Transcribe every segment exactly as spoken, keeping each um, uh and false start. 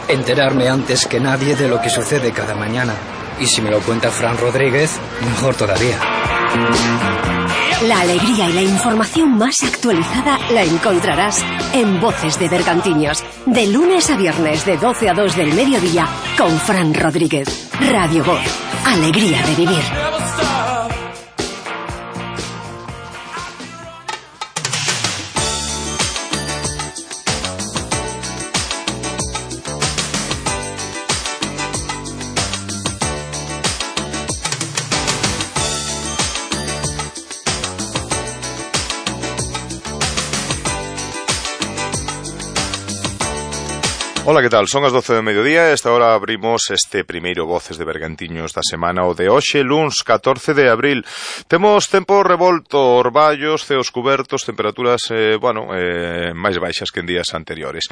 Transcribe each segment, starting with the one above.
enterarme antes que nadie de lo que sucede cada mañana. Y si me lo cuenta Fran Rodríguez, mejor todavía. La alegría y la información más actualizada la encontrarás en Voces de Bergantiños, de lunes a viernes de doce a dos del mediodía, con Fran Rodríguez. Radio Voz, alegría de vivir. Ola, que tal? Son as doce do mediodía e esta hora abrimos este primeiro Voces de Bergantiños da semana, o de hoxe, luns catorce de abril. Temos tempo revolto, orballos, ceos cubertos, temperaturas, eh, bueno, eh, máis baixas que en días anteriores.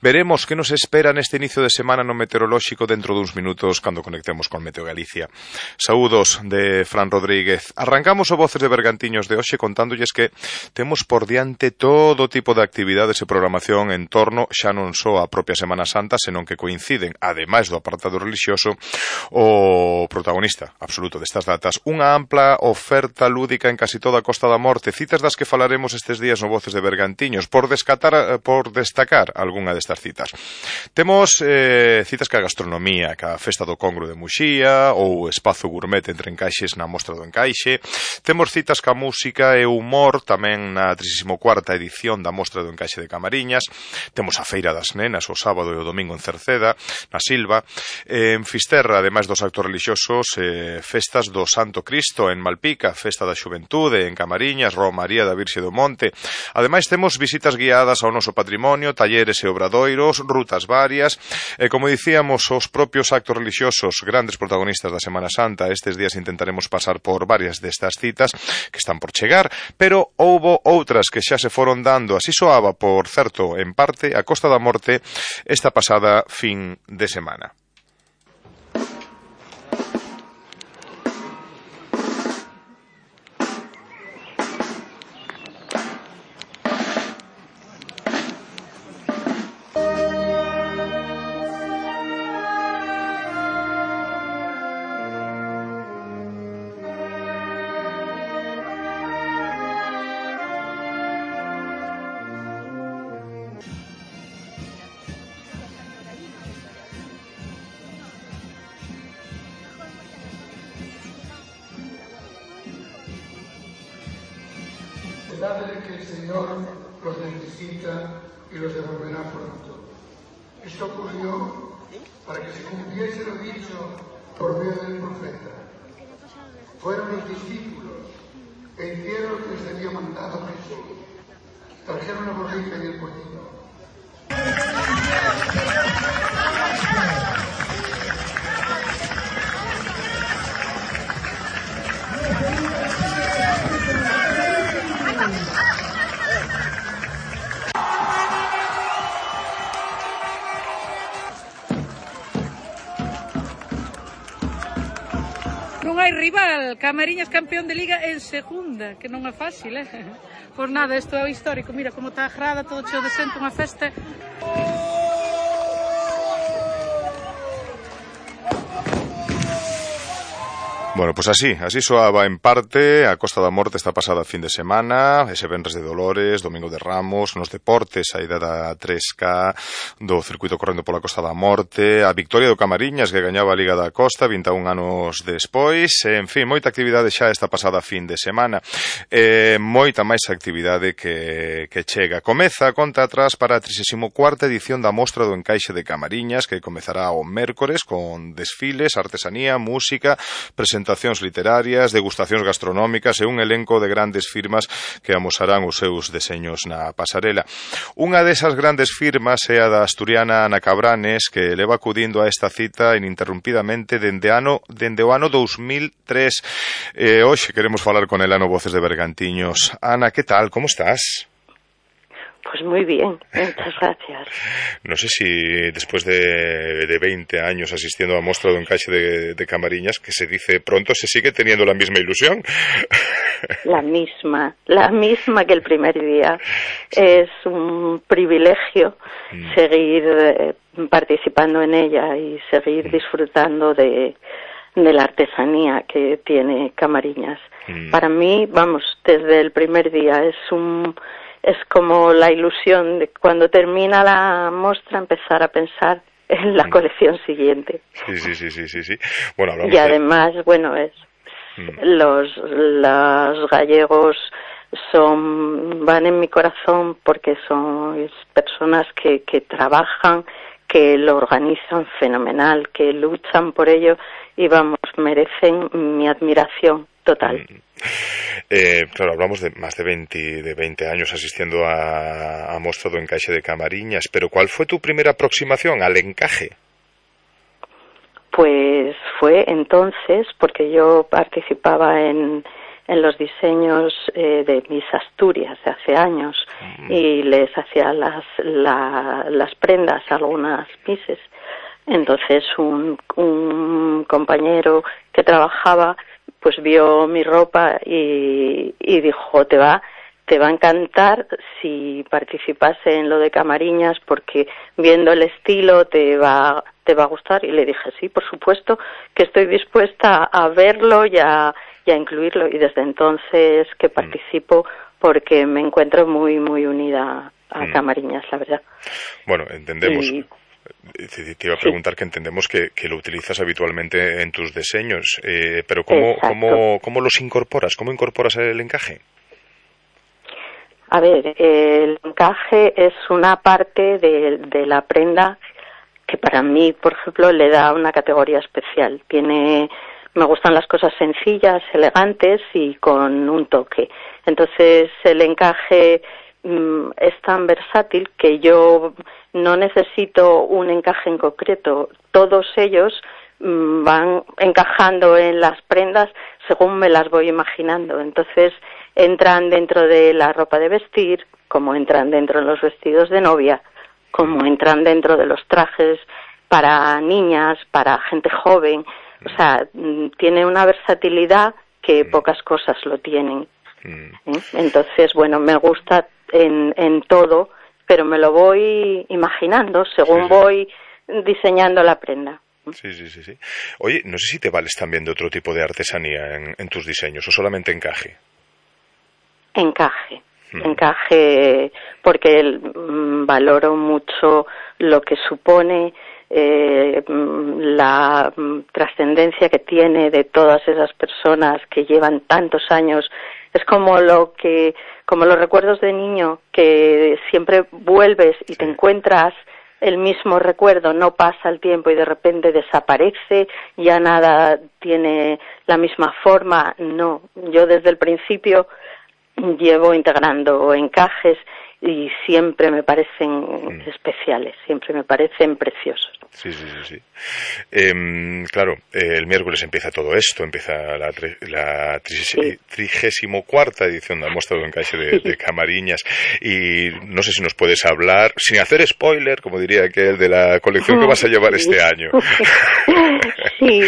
Veremos que nos espera neste inicio de semana no meteorolóxico dentro duns minutos cando conectemos con Meteo Galicia. Saúdos de Fran Rodríguez. Arrancamos o Voces de Bergantiños de hoxe contándolles que temos por diante todo tipo de actividades e programación en torno xa non só a propia semana Santa, senón que coinciden, ademais do apartado religioso, o protagonista absoluto destas datas, unha ampla oferta lúdica en casi toda a Costa da Morte, citas das que falaremos estes días no Voces de Bergantiños, por descatar, por destacar algunha destas citas. Temos eh, citas ca gastronomía, ca Festa do Congro de Muxía, ou Espazo Gourmet entre encaixes na Mostra do Encaixe. Temos citas ca música e humor, tamén na trigésima cuarta edición da Mostra do Encaixe de Camariñas. Temos a Feira das Nenas, o sábado e o domingo en Cerceda, na Silva. En Fisterra, ademais dos actos religiosos, eh, festas do Santo Cristo en Malpica, Festa da Xuventude en Camariñas, Romaría da Virxe do Monte. Ademais temos visitas guiadas ao noso patrimonio, talleres e obradoiros, rutas varias, e como dicíamos, os propios actos religiosos, grandes protagonistas da Semana Santa. Estes días intentaremos pasar por varias destas citas que están por chegar, pero houbo outras que xa se foron dando. Así soaba, por certo, en parte, a Costa da Morte esta pasada fin de semana. Dadle que el Señor los necesita y los devolverá pronto. Esto ocurrió para que se cumpliese lo dicho por medio del profeta. Fueron los discípulos e hicieron lo que les había mandado Jesús. Trajeron la borrica y el pollino. Non hai rival, Camariñas campeón de Liga en segunda, que non é fácil, eh? Pois nada, isto é o histórico, mira como está a grada, todo cheo de xente, unha festa. Bueno, pois pues así, así soaba en parte a Costa da Morte esta pasada fin de semana, ese venres de Dolores, domingo de Ramos, nos deportes, a ida da tres K, do circuito correndo pola Costa da Morte, a victoria do Camariñas que gañaba a Liga da Costa vinte e un anos despois, en fin, moita actividade xa esta pasada fin de semana, eh, moita máis actividade que, que chega. Comeza a conta atrás para a trigésima cuarta edición da Mostra do Encaixe de Camariñas, que comezará o mércores con desfiles, artesanía, música, presentacións literarias, degustacións gastronómicas e un elenco de grandes firmas que amosarán os seus deseños na pasarela. Unha desas grandes firmas é a da asturiana Ana Cabranes, que leva acudindo a esta cita ininterrumpidamente dende, ano, dende o ano dos mil tres. E hoxe queremos falar con ela no Voces de Bergantiños. Ana, que tal? Como estás? Pues muy bien, muchas gracias. No sé si después de, de veinte años asistiendo a Mostra do Encaixe de, de Camariñas, que se dice pronto, se sigue teniendo la misma ilusión. La misma, la misma que el primer día. Es un privilegio mm. seguir eh, participando en ella y seguir mm. disfrutando de, de la artesanía que tiene Camariñas. Mm. Para mí, vamos, desde el primer día es un es como la ilusión de cuando termina la muestra empezar a pensar en la colección siguiente. Sí, sí, sí, sí, sí, sí. Bueno, hablamos y además, de... bueno, es mm. los, los gallegos son van en mi corazón porque son personas que, que trabajan, que lo organizan fenomenal, que luchan por ello y, vamos, merecen mi admiración total. Mm. Eh, claro, hablamos de más de veinte, de veinte años asistiendo a, a Mostra do Encaixe de Camariñas, pero ¿cuál fue tu primera aproximación al encaje? Pues fue entonces, porque yo participaba en, en los diseños eh, de mis Asturias de hace años mm. y les hacía las, la, las prendas a algunas mises. Entonces un, un compañero que trabajaba pues vio mi ropa y, y dijo, te va, te va a encantar si participase en lo de Camariñas porque viendo el estilo te va, te va a gustar. Y le dije, sí, por supuesto, que estoy dispuesta a verlo y a, y a incluirlo. Y desde entonces que participo porque me encuentro muy, muy unida a mm. Camariñas, la verdad. Bueno, entendemos... Y, Te iba a preguntar sí. que entendemos que, que lo utilizas habitualmente en tus diseños, eh, pero ¿cómo, ¿cómo, ¿cómo los incorporas? ¿Cómo incorporas el encaje? A ver, el encaje es una parte de, de la prenda que para mí, por ejemplo, le da una categoría especial. Tiene, me gustan las cosas sencillas, elegantes y con un toque. Entonces, el encaje mm, es tan versátil que yo no necesito un encaje en concreto. Todos ellos mmm, van encajando en las prendas según me las voy imaginando. Entonces entran dentro de la ropa de vestir, como entran dentro de los vestidos de novia, como entran dentro de los trajes para niñas, para gente joven. O sea, mmm, tiene una versatilidad que pocas cosas lo tienen. ¿Eh? Entonces, bueno, me gusta en, en todo, pero me lo voy imaginando según sí, sí. voy diseñando la prenda. Sí, sí, sí, sí. Oye, no sé si te vales también de otro tipo de artesanía en, en tus diseños, o solamente encaje. Encaje, hmm. encaje, porque el, mm, valoro mucho lo que supone eh, la mm, trascendencia que tiene de todas esas personas que llevan tantos años. Es como lo que, como los recuerdos de niño, que siempre vuelves y te encuentras el mismo recuerdo, no pasa el tiempo y de repente desaparece, ya nada tiene la misma forma. No, yo desde el principio llevo integrando encajes y siempre me parecen mm. especiales, siempre me parecen preciosos. Sí, sí, sí, sí. Eh, claro, eh, el miércoles empieza todo esto, empieza la, tri, la tri, trigésimo cuarta edición de la Mostra do Encaixe de, de Camariñas y no sé si nos puedes hablar, sin hacer spoiler, como diría aquel, de la colección que vas a llevar este año. Sí,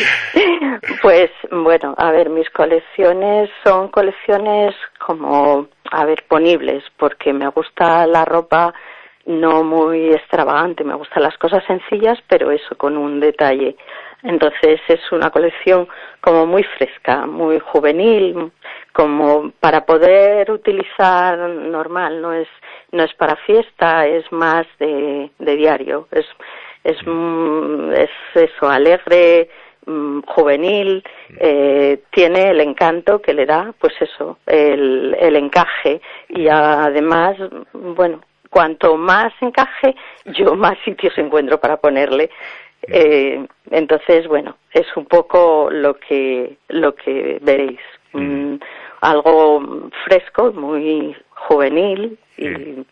pues bueno, a ver, mis colecciones son colecciones como, a ver, ponibles, porque me gusta la ropa no muy extravagante, me gustan las cosas sencillas, pero eso, con un detalle. Entonces es una colección como muy fresca, muy juvenil, como para poder utilizar normal, no es no es para fiesta, es más de, de diario, es es es eso, alegre, juvenil, eh, tiene el encanto que le da, pues eso, el, el encaje y además, bueno, cuanto más encaje, yo más sitios encuentro para ponerle. Eh, entonces, bueno, es un poco lo que lo que veréis. Mm, algo fresco, muy juvenil y, mm.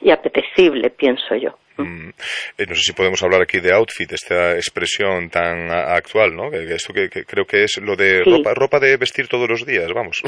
y apetecible, pienso yo. Mm. Eh, no sé si podemos hablar aquí de outfit, esta expresión tan a, actual, ¿no? Que, que esto que, que creo que es lo de sí. ropa, ropa de vestir todos los días, vamos.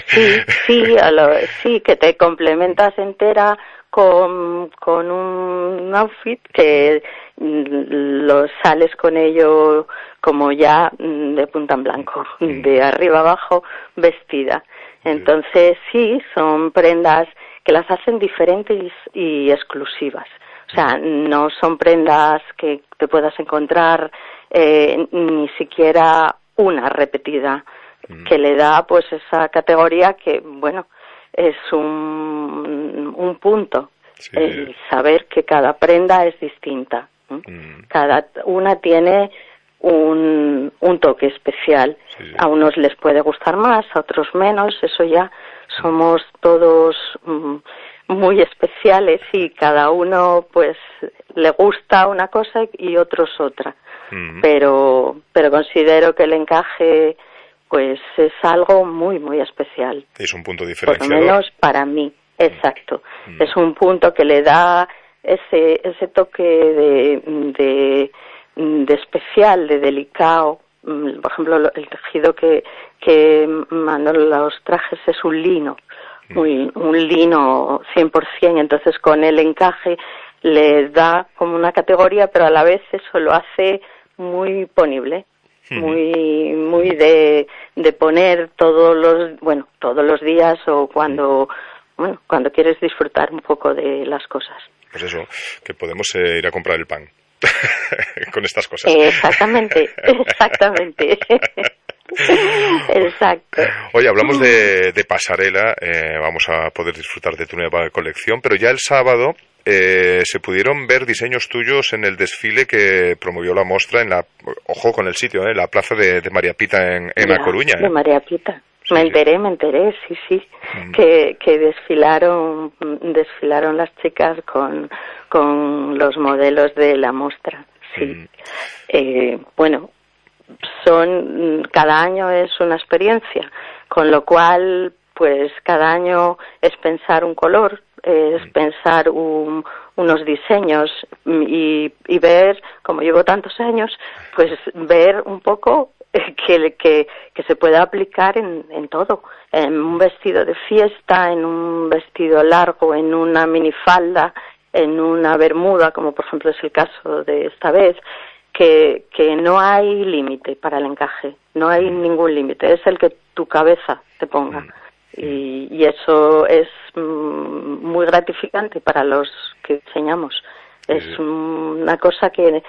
Sí, sí, a lo, sí, que te complementas entera con, con un outfit que lo sales con ello como ya de punta en blanco, de arriba abajo vestida. Entonces sí, son prendas que las hacen diferentes y exclusivas. O sea, no son prendas que te puedas encontrar eh, ni siquiera una repetida, mm. que le da pues esa categoría que, bueno, es un, un punto. Sí. El saber que cada prenda es distinta. Mm. Cada una tiene un, un toque especial. Sí. A unos les puede gustar más, a otros menos. Eso ya somos todos mm, muy especiales y cada uno pues le gusta una cosa y otros otra. Mm. Pero, pero considero que el encaje pues es algo muy, muy especial. Es un punto diferenciador. Por lo menos para mí, exacto. Mm. Es un punto que le da ese, ese toque de, de, de especial, de delicado. Por ejemplo, el tejido que, que mandan los trajes es un lino, mm. muy, un lino cien por ciento, entonces con el encaje le da como una categoría, pero a la vez eso lo hace muy ponible. Muy, muy de, de poner todos los, bueno, todos los días o cuando, bueno, cuando quieres disfrutar un poco de las cosas. Pues eso, que podemos eh, ir a comprar el pan con estas cosas. Exactamente, exactamente. Exacto. Oye, hablamos de, de pasarela, eh, vamos a poder disfrutar de tu nueva colección, pero ya el sábado eh, se pudieron ver diseños tuyos en el desfile que promovió la mostra en la, ojo con el sitio, eh, la plaza de, de María Pita en, en ya, La Coruña. De ¿eh? María Pita. Sí, me enteré, sí. me enteré, sí, sí, mm. que, que desfilaron, desfilaron las chicas con, con los modelos de la mostra, sí. Mm. Eh, bueno, son, cada año es una experiencia, con lo cual, pues cada año es pensar un color, es pensar un, unos diseños y, y ver, como llevo tantos años, pues ver un poco que, que, que se pueda aplicar en, en todo, en un vestido de fiesta, en un vestido largo, en una minifalda, en una bermuda, como por ejemplo es el caso de esta vez, que, que no hay límite para el encaje, no hay ningún límite, es el que tu cabeza te ponga. Y, y eso es mm, muy gratificante para los que diseñamos. Sí. Es mm, una cosa que,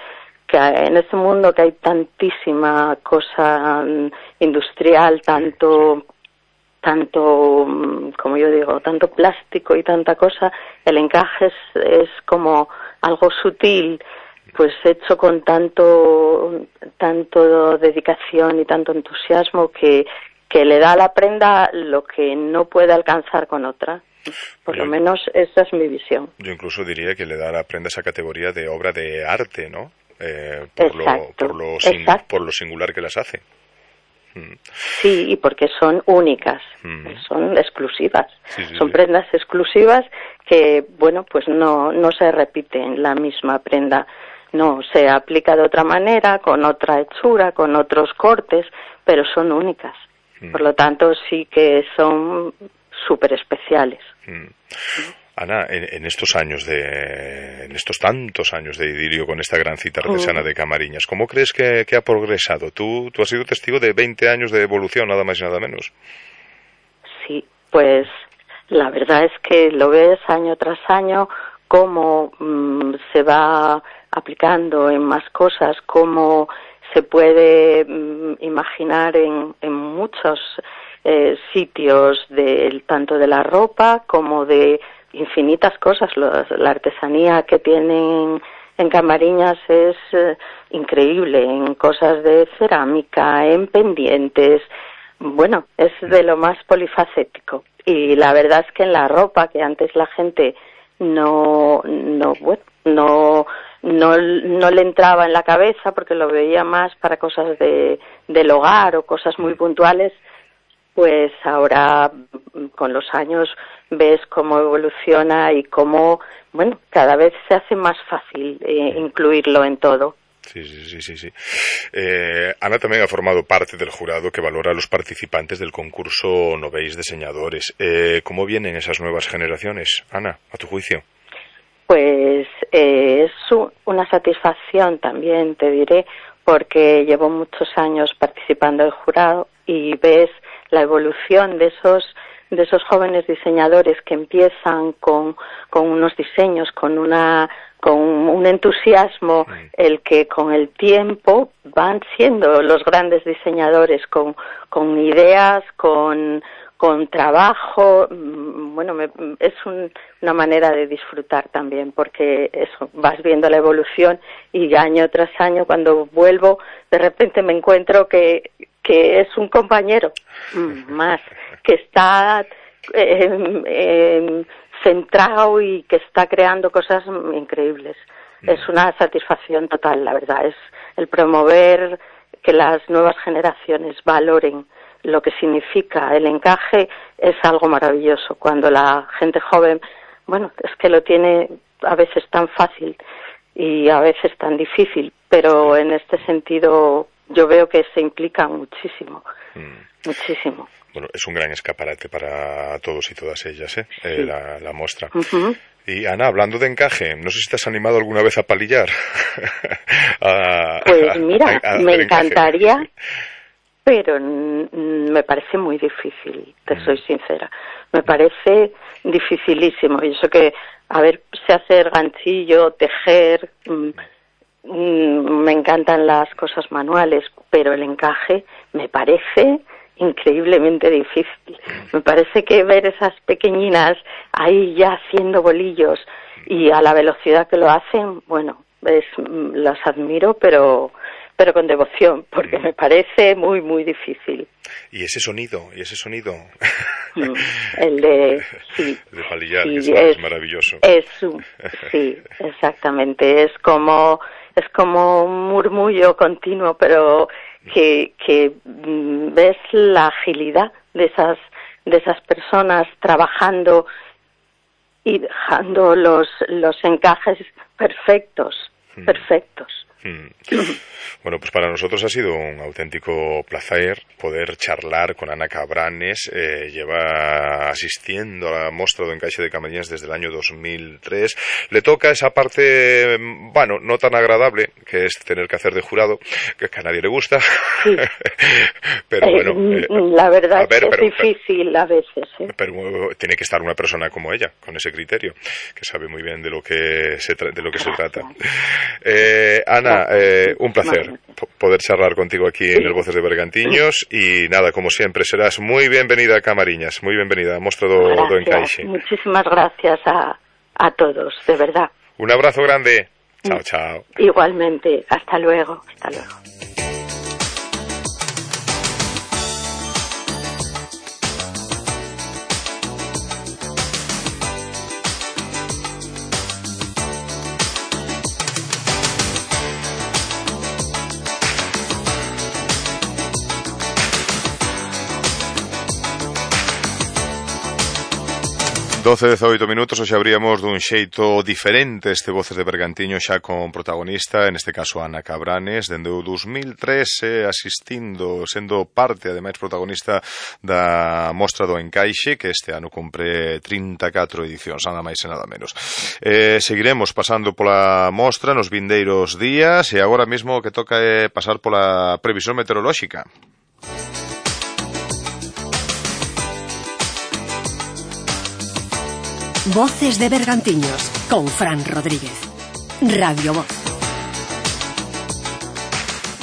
que en este mundo que hay tantísima cosa mm, industrial, tanto, sí. tanto, mm, como yo digo, tanto plástico y tanta cosa, el encaje es, es como algo sutil, pues hecho con tanto, tanto dedicación y tanto entusiasmo que que le da a la prenda lo que no puede alcanzar con otra. Por yo, lo menos esa es mi visión. Yo incluso diría que le da a la prenda esa categoría de obra de arte, ¿no? Eh, por, exacto, lo, por, lo sing, por lo singular que las hace. Mm. Sí, y porque son únicas, mm. son exclusivas. Sí, sí, son sí. prendas exclusivas que, bueno, pues no, no se repiten la misma prenda. No, se aplica de otra manera, con otra hechura, con otros cortes, pero son únicas. Por lo tanto, sí que son súper especiales. Mm. Ana, en, en estos años de, en estos tantos años de idilio con esta gran cita artesana mm. de Camariñas, ¿cómo crees que, que ha progresado? Tú, tú has sido testigo de veinte años de evolución, nada más y nada menos. Sí, pues la verdad es que lo ves año tras año, cómo mmm, se va aplicando en más cosas, cómo se puede mm, imaginar en, en muchos eh, sitios, de, tanto de la ropa como de infinitas cosas. Los, la artesanía que tienen en Camariñas es eh, increíble, en cosas de cerámica, en pendientes. Bueno, es de lo más polifacético. Y la verdad es que en la ropa, que antes la gente no, no, bueno, no... No, no le entraba en la cabeza porque lo veía más para cosas de, del hogar o cosas muy puntuales, pues ahora con los años ves cómo evoluciona y cómo, bueno, cada vez se hace más fácil eh, incluirlo en todo. Sí, sí, sí, sí, sí. Eh, Ana tamén ha formado parte del jurado que valora a los participantes del concurso Novéis Diseñadores. Eh, ¿Cómo vienen esas nuevas generaciones, Ana, a tu juicio? Pues eh, es una satisfacción también, te diré, porque llevo muchos años participando del jurado y ves la evolución de esos de esos jóvenes diseñadores que empiezan con, con unos diseños, con una con un entusiasmo, el que con el tiempo van siendo los grandes diseñadores, con, con ideas, con, con trabajo. Bueno, me, es un, una manera de disfrutar también, porque eso, vas viendo la evolución y año tras año, cuando vuelvo, de repente me encuentro que, que es un compañero más, que está eh, eh, centrado y que está creando cosas increíbles. Mm. Es una satisfacción total, la verdad. Es el promover que las nuevas generaciones valoren lo que significa el encaje, es algo maravilloso. Cuando la gente joven, bueno, es que lo tiene a veces tan fácil y a veces tan difícil, pero en este sentido yo veo que se implican muchísimo, mm. muchísimo. Bueno, es un gran escaparate para todos y todas ellas, ¿eh? Sí. eh la, la muestra. Uh-huh. Y Ana, hablando de encaje, no sé si te has animado alguna vez a palillar. a, pues mira, a, a me encantaría, encaje. Pero n- me parece muy difícil, te mm. soy sincera. Me parece dificilísimo. Y eso que, a ver, sé hacer ganchillo, tejer, mm, mm, me encantan las cosas manuales, pero el encaje me parece increíblemente difícil. Me parece que ver esas pequeñinas ahí ya haciendo bolillos y a la velocidad que lo hacen, bueno, es, las admiro, pero pero con devoción, porque me parece muy, muy difícil. Y ese sonido, y ese sonido. El de... Sí, el de palillar, sí, que es, es maravilloso. Es, sí, exactamente. Es como, es como un murmullo continuo, pero que, que ves la agilidad de esas, de esas personas trabajando y dejando los, los encajes perfectos, mm. perfectos. Mm. Bueno, pues para nosotros ha sido un auténtico placer poder charlar con Ana Cabranes. Eh, lleva asistiendo a la Mostra do Encaixe de Camariñas desde el año dos mil tres. Le toca esa parte, bueno, no tan agradable, que es tener que hacer de jurado, que a nadie le gusta. Sí. Pero bueno, eh, la verdad ver, es que es difícil pero, a veces. ¿eh? Pero tiene que estar una persona como ella, con ese criterio, que sabe muy bien de lo que se, tra- de lo que se trata. Eh, Ana, eh, un placer poder charlar contigo aquí en el Voces de Bergantiños y nada, como siempre, serás muy bienvenida a Camariñas, muy bienvenida a Mostra do, do Encaixe. Muchísimas gracias a, a todos, de verdad. Un abrazo grande. Chao, chao. Igualmente, hasta luego, hasta luego. doce, dezoito minutos, hoxe abríamos dun xeito diferente este Voces de Bergantiño xa con protagonista, en este caso Ana Cabranes, dende o dos mil tres eh, asistindo, sendo parte, ademais protagonista da Mostra do Encaixe, que este ano cumpre trinta e catro edicións, nada máis e nada menos. Eh, seguiremos pasando pola mostra nos vindeiros días e agora mesmo o que toca é pasar pola previsión meteorolóxica. Voces de Bergantiños, con Fran Rodríguez. Radio Voz.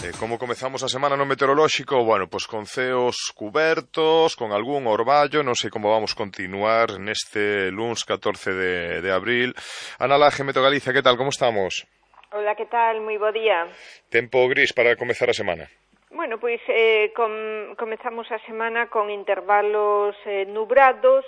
Eh, como comezamos a semana no meteorolóxico? Bueno, pois con ceos cubertos, con algún orballo, non sei como vamos continuar neste luns catorce de, de abril. Ana Laje, Meteo Galicia, que tal, como estamos? Hola, que tal, moi bo día. Tempo gris para comezar a semana. Bueno, pois eh, com, comezamos a semana con intervalos eh, nubrados,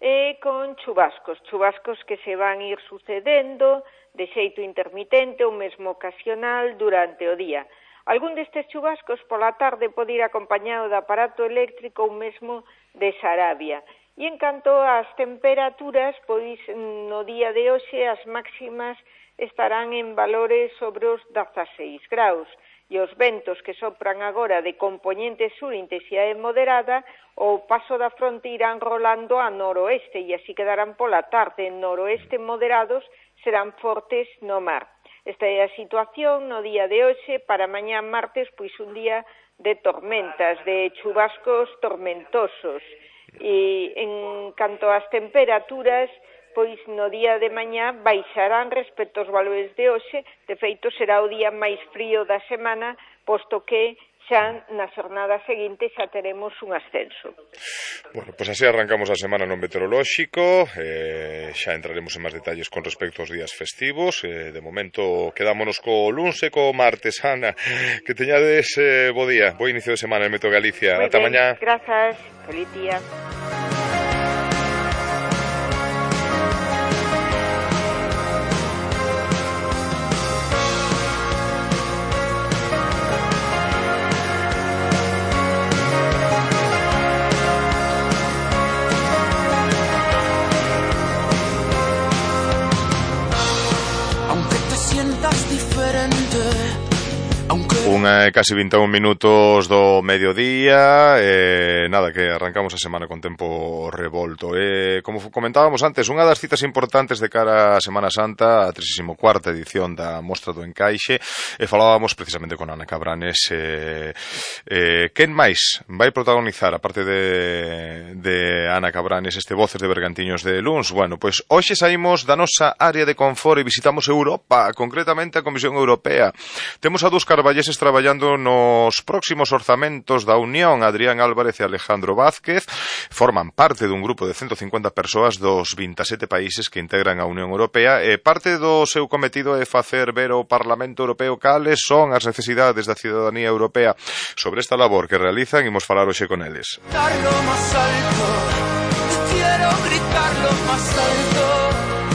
e con chubascos, chubascos que se van ir sucedendo de xeito intermitente ou mesmo ocasional durante o día. Algún destes chubascos pola tarde pode ir acompañado de aparato eléctrico ou mesmo de xarabia. E en canto ás temperaturas, pois no día de hoxe as máximas estarán en valores sobre os dezaseis graus. E os ventos que sopran agora de compoñente sur intensidade moderada, o paso da fronte irán rolando a noroeste e así quedarán pola tarde. En noroeste moderados serán fortes no mar. Esta é a situación no día de hoxe. Para mañá martes, pois un día de tormentas, de chubascos tormentosos. E en canto ás temperaturas, pois no día de mañá baixarán respecto aos valores de hoxe. De feito, será o día máis frío da semana, posto que xa na xornada seguinte xa teremos un ascenso. Bueno, pois pues así arrancamos a semana no meteorolóxico. eh, xa entraremos en máis detalles con respecto aos días festivos. Eh, de momento quedámonos co luns e co martes. Ana, que teñades eh, bo día, bo inicio de semana en Meteo Galicia. Ata mañá. Grazas, feliz día. Unha e casi vinte e un minutos do mediodía. eh, Nada, que arrancamos a semana con tempo revolto. eh, Como comentábamos antes, unha das citas importantes de cara a Semana Santa, a trescientos cuarta edición da Mostra do Encaixe. E falábamos precisamente con Ana Cabranes. eh, eh, Quen máis vai protagonizar, aparte de, de Ana Cabranes, este Voces de Bergantiños de luns? Bueno, pois hoxe saímos da nosa área de confort e visitamos Europa, concretamente a Comisión Europea. Temos a dous carballeses traballando nos próximos orzamentos da Unión. Adrián Álvarez e Alejandro Vázquez forman parte dun grupo de ciento cincuenta persoas dos vinte e sete países que integran a Unión Europea, e parte do seu cometido é facer ver ao Parlamento Europeo cales son as necesidades da cidadanía europea. Sobre esta labor que realizan, imos falar hoxe con eles.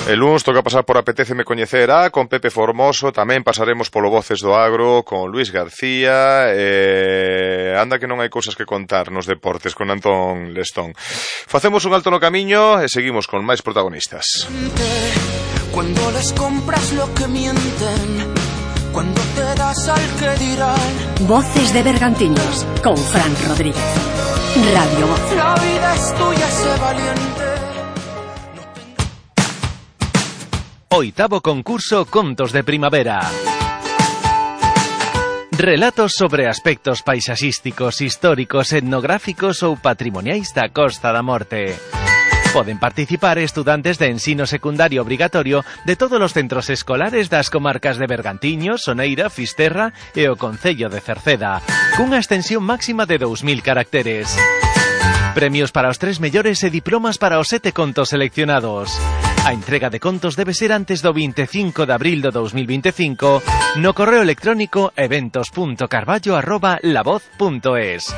El luns toca pasar por Apetéceme Coñecer A con Pepe Formoso. Tamén pasaremos polo Voces do Agro con Luis García. eh, Anda que non hai cousas que contar nos deportes con Antón Lestón. Facemos un alto no camiño e seguimos con máis protagonistas. Cuando les compras lo que mienten, cuando te das al que dirán. Voces de Bergantiños con Fran Rodríguez. Radio Voz. La vida es tuya, sé valiente. Oitavo concurso Contos de Primavera. Relatos sobre aspectos paisaxísticos, históricos, etnográficos ou patrimoniais da Costa da Morte. Poden participar estudantes de ensino secundario obrigatorio de todos os centros escolares das comarcas de Bergantiños, Soneira, Fisterra e o concello de Cerceda, cunha extensión máxima de dous mil caracteres. Premios para os tres mellores e diplomas para os sete contos seleccionados. A entrega de contos debe ser antes do vinte e cinco de abril do dos mil vinte e cinco no correo electrónico eventos punto carballo arroba lavoz punto es.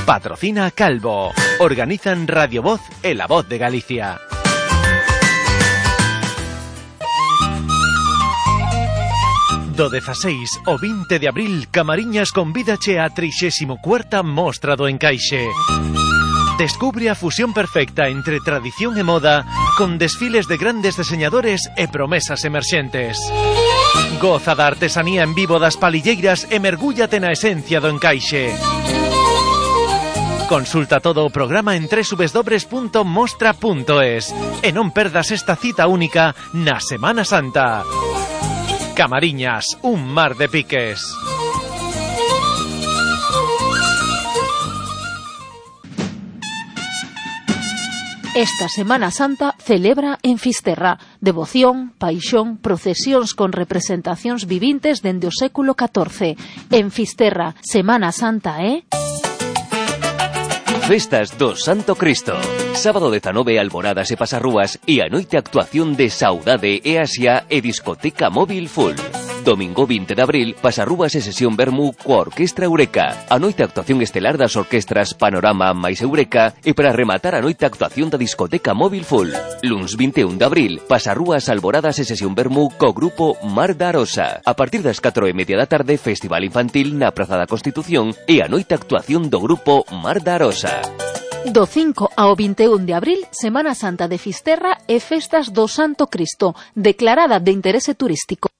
Patrocina Calvo. Organizan Radio Voz e La Voz de Galicia. Do dezaseis ao vinte de abril, Camariñas convídache a trixésima cuarta Mostra do Encaixe. Descubre a fusión perfecta entre tradición e moda con desfiles de grandes diseñadores e promesas emerxentes. Goza da artesanía en vivo das palilleiras e mergúllate na esencia do encaixe. Consulta todo o programa en doble u doble u doble u punto mostra punto es e non perdas esta cita única na Semana Santa. Camariñas, un mar de piques. Esta Semana Santa celebra en Fisterra devoción, paixón, procesións con representacións vivintes dende o século catorce. En Fisterra, Semana Santa, eh? Festas do Santo Cristo. Sábado dezanove, alboradas e pasarrúas e a noite actuación de Saudade e Asia e discoteca móvil full. Domingo vinte de abril, pasarrúas e sesión vermú coa Orquestra Eureka. A noite actuación estelar das orquestras Panorama máis Eureka e para rematar a noite actuación da discoteca móvil full. Luns vinte e un de abril, pasarrúas, alboradas e sesión vermú co grupo Mar da Arosa. A partir das catro e media da tarde, festival infantil na Praza da Constitución e a noite actuación do grupo Mar da Arosa. Do cinco ao vinte e un de abril, Semana Santa de Fisterra e Festas do Santo Cristo, declarada de interese turístico.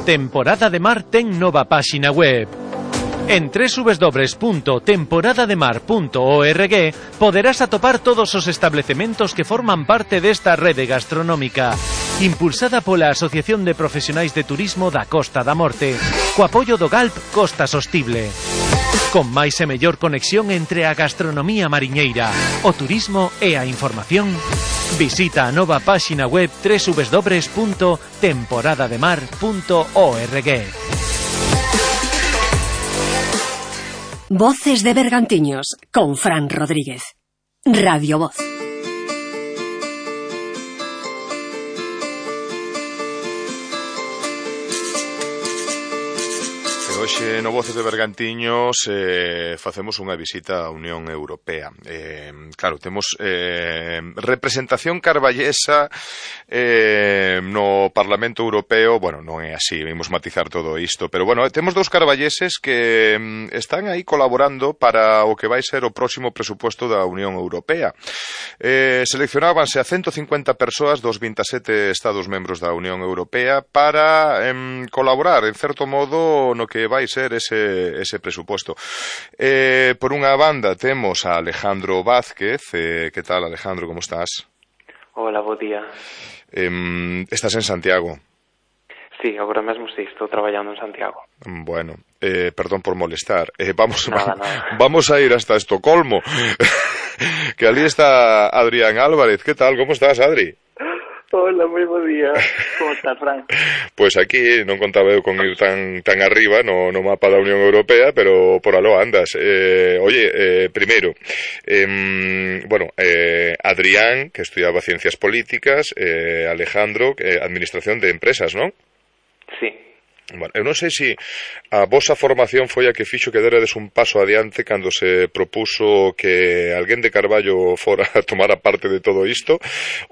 Temporada de Mar ten nova páxina web. En doble u doble u doble u punto temporada de mar punto org poderás atopar todos os establecementos que forman parte desta rede gastronómica, impulsada pola Asociación de Profesionais de Turismo da Costa da Morte, co apoio do Galp Costa Sostible. Con máis e mellor conexión entre a gastronomía mariñeira, o turismo e a información, visita a nova páxina web doble u doble u doble u punto temporada de mar punto org. Voces de Bergantiños, con Fran Rodríguez. Radio Voz. Hoxe no Voces de Bergantiños eh, facemos unha visita á Unión Europea. Eh, claro, temos eh, representación carballesa eh, no Parlamento Europeo. Bueno, non é así, vimos matizar todo isto, pero bueno, temos dous carballeses que mm, están aí colaborando para o que vai ser o próximo presupuesto da Unión Europea. Eh, seleccionábanse a ciento cincuenta persoas dos vinte e sete Estados membros da Unión Europea para eh, colaborar, en certo modo, no que vai ser ese, ese presupuesto. Eh, por unha banda temos a Alejandro Vázquez. Eh, que tal, Alejandro, como estás? Hola, bo día. Eh, estás en Santiago? Sí, agora mesmo sí, estou traballando en Santiago. Bueno, eh, perdón por molestar. Eh, vamos, nada, nada. vamos a ir hasta Estocolmo. Que ali está Adrián Álvarez. Que tal, como estás, Adri? Hola, moi bo día. Como estás, Fran? Pois pues aquí non contaba eu con ir tan tan arriba no, no mapa da Unión Europea, pero por aló andas. Eh, oye, eh, primeiro, eh, bueno, eh, Adrián, que estudiaba Ciencias Políticas, eh, Alejandro, eh, Administración de Empresas, non? Sí. Bueno, eu non sei se a vosa formación foi a que fixo que derades un paso adiante cando se propuso que alguén de Carballo fora a tomar a parte de todo isto,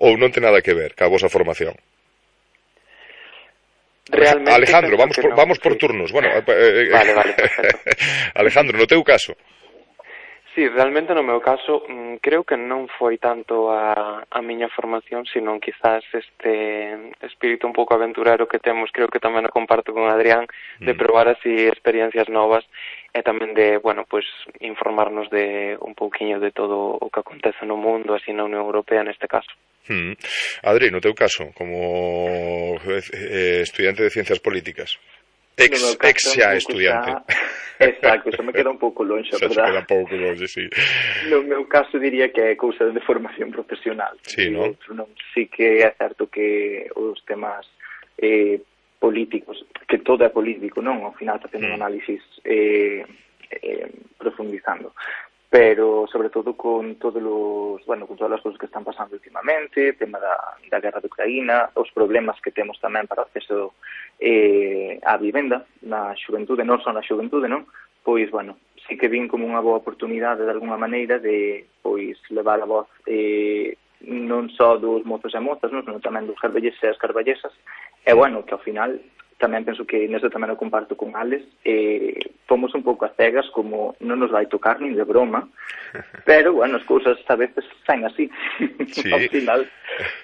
ou non ten nada que ver ca vosa formación? Realmente Alejandro, vamos por, no, vamos por sí. turnos. Bueno, eh, vale, vale, perfecto. Alejandro, no teu caso? Sí, realmente no meu caso mmm, creo que non foi tanto a, a miña formación, sino quizás este espírito un pouco aventurero que temos, creo que tamén o comparto con Adrián, de probar así experiencias novas e tamén de, bueno, pues informarnos de un pouquiño de todo o que acontece no mundo, así na Unión Europea neste caso. Hmm. Adri, no teu caso, como eh, estudiante de Ciencias Políticas? Ex, no caso, ex xa estudiante. Xa... Exacto, eso me queda un pouco longe, a verdad. Xa queda un pouco longe, sí. No meu caso diría que é cousa de formación profesional. Sí, non? non? Sí que é certo que os temas eh, políticos, que todo é político, non? Ao final facendo mm. un análisis eh, eh, profundizando. Pero sobre todo con todos os, bueno, con todas as cousas que están pasando últimamente, tema da, da guerra de Ucraína, os problemas que temos tamén para o acceso eh, á vivenda na xuventude, non só na xuventude, non? Pois, bueno, sí que vin como unha boa oportunidade de alguna maneira de, pois, levar a voz eh, non só dos mozos e mozas, non? Senón tamén dos carballeses e as carballesas, e, bueno, que ao final tamén penso que nesto tamén o comparto con Alex, eh, fomos un pouco a cegas como non nos vai tocar nin de broma, pero, bueno, as cousas a veces saen así. Sí. Ao final,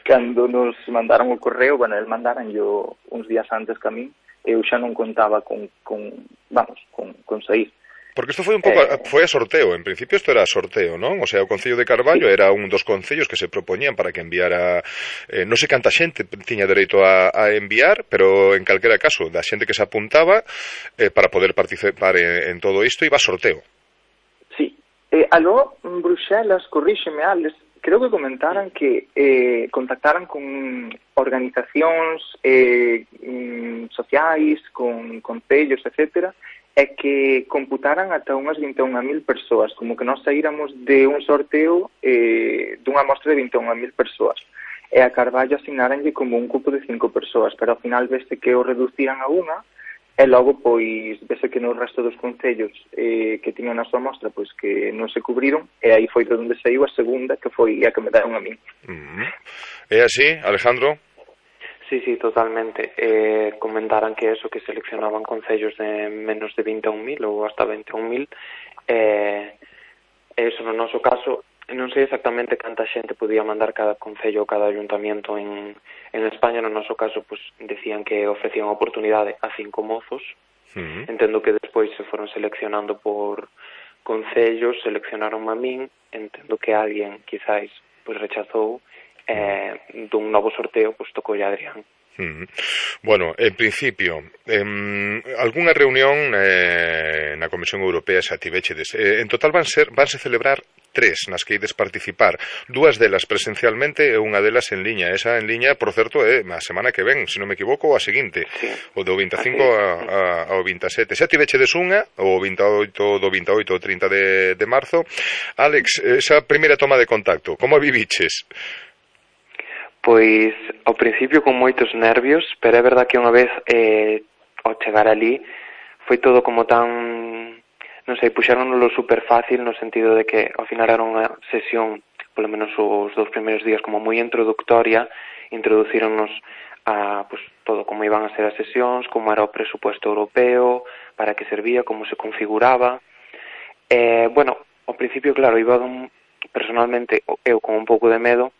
cando nos mandaron o correo, bueno, el mandaran yo uns días antes que a mí, eu xa non contaba con, con vamos, con, con sair. Porque isto foi un pouco, eh, foi a sorteo, en principio isto era a sorteo, non? O sea, o Concello de Carballo sí. Era un dos concellos que se propoñían para que enviara, eh, non sei canta xente tiña dereito a, a enviar, pero en calquera caso, da xente que se apuntaba eh, para poder participar en, en todo isto, iba a sorteo. Sí, eh, aló, Bruxelas, corríxeme, Alex, creo que comentaran que eh, contactaran con organizacións eh, sociais, con concellos, etcétera, é que computaran ata unhas vinte e unha mil persoas, como que nós saíramos de un sorteo eh, dunha mostra de vinte e unha mil persoas. E a Carballo asignaranlle como un cupo de cinco persoas, pero ao final vese que o reduciran a unha, e logo, pois, vese que no resto dos concellos eh, que tiñan a súa mostra, pois que non se cubriron, e aí foi de onde saiu a segunda, que foi a que me deron a mí. Mm-hmm. É así, Alejandro? Sí, sí, totalmente. Eh, comentaran que eso, que seleccionaban concellos de menos de vinte e un mil ou hasta vinte e un mil. Eh, eso, no noso caso, non sei exactamente canta xente podía mandar cada concello ou cada ayuntamiento en, en España. No noso caso, pues, decían que ofrecían oportunidade a cinco mozos. Uh-huh. Entendo que despois se foron seleccionando por concellos, seleccionaron a min, entendo que alguén, quizáis, pues, rechazou. Eh, dun novo sorteo, pois tocou a Adrián. Uh-huh. Bueno, en principio, eh, algunha reunión eh, na Comisión Europea xa tivechedes. Eh, en total van ser vanse celebrar tres nas que ides participar, dúas delas presencialmente e unha delas en liña. Esa en liña, por certo, é a semana que ven, se non me equivoco, a seguinte, sí. O do vinte e cinco a, a, ao vinte e sete. Xa tivechedes unha, o vinte e oito do vinte e oito ao trinta de, de marzo. Alex, esa primeira toma de contacto, como a viviches? Pois, ao principio con moitos nervios, pero é verdad que unha vez eh, ao chegar ali foi todo como tan, non sei, puxéronlo super fácil no sentido de que ao final era unha sesión, polo menos os dous primeiros días, como moi introductoria. Introducíronnos a pues, todo como iban a ser as sesións, como era o presupuesto europeo, para que servía, como se configuraba. Eh, bueno, ao principio, claro, iba un, personalmente eu con un pouco de medo,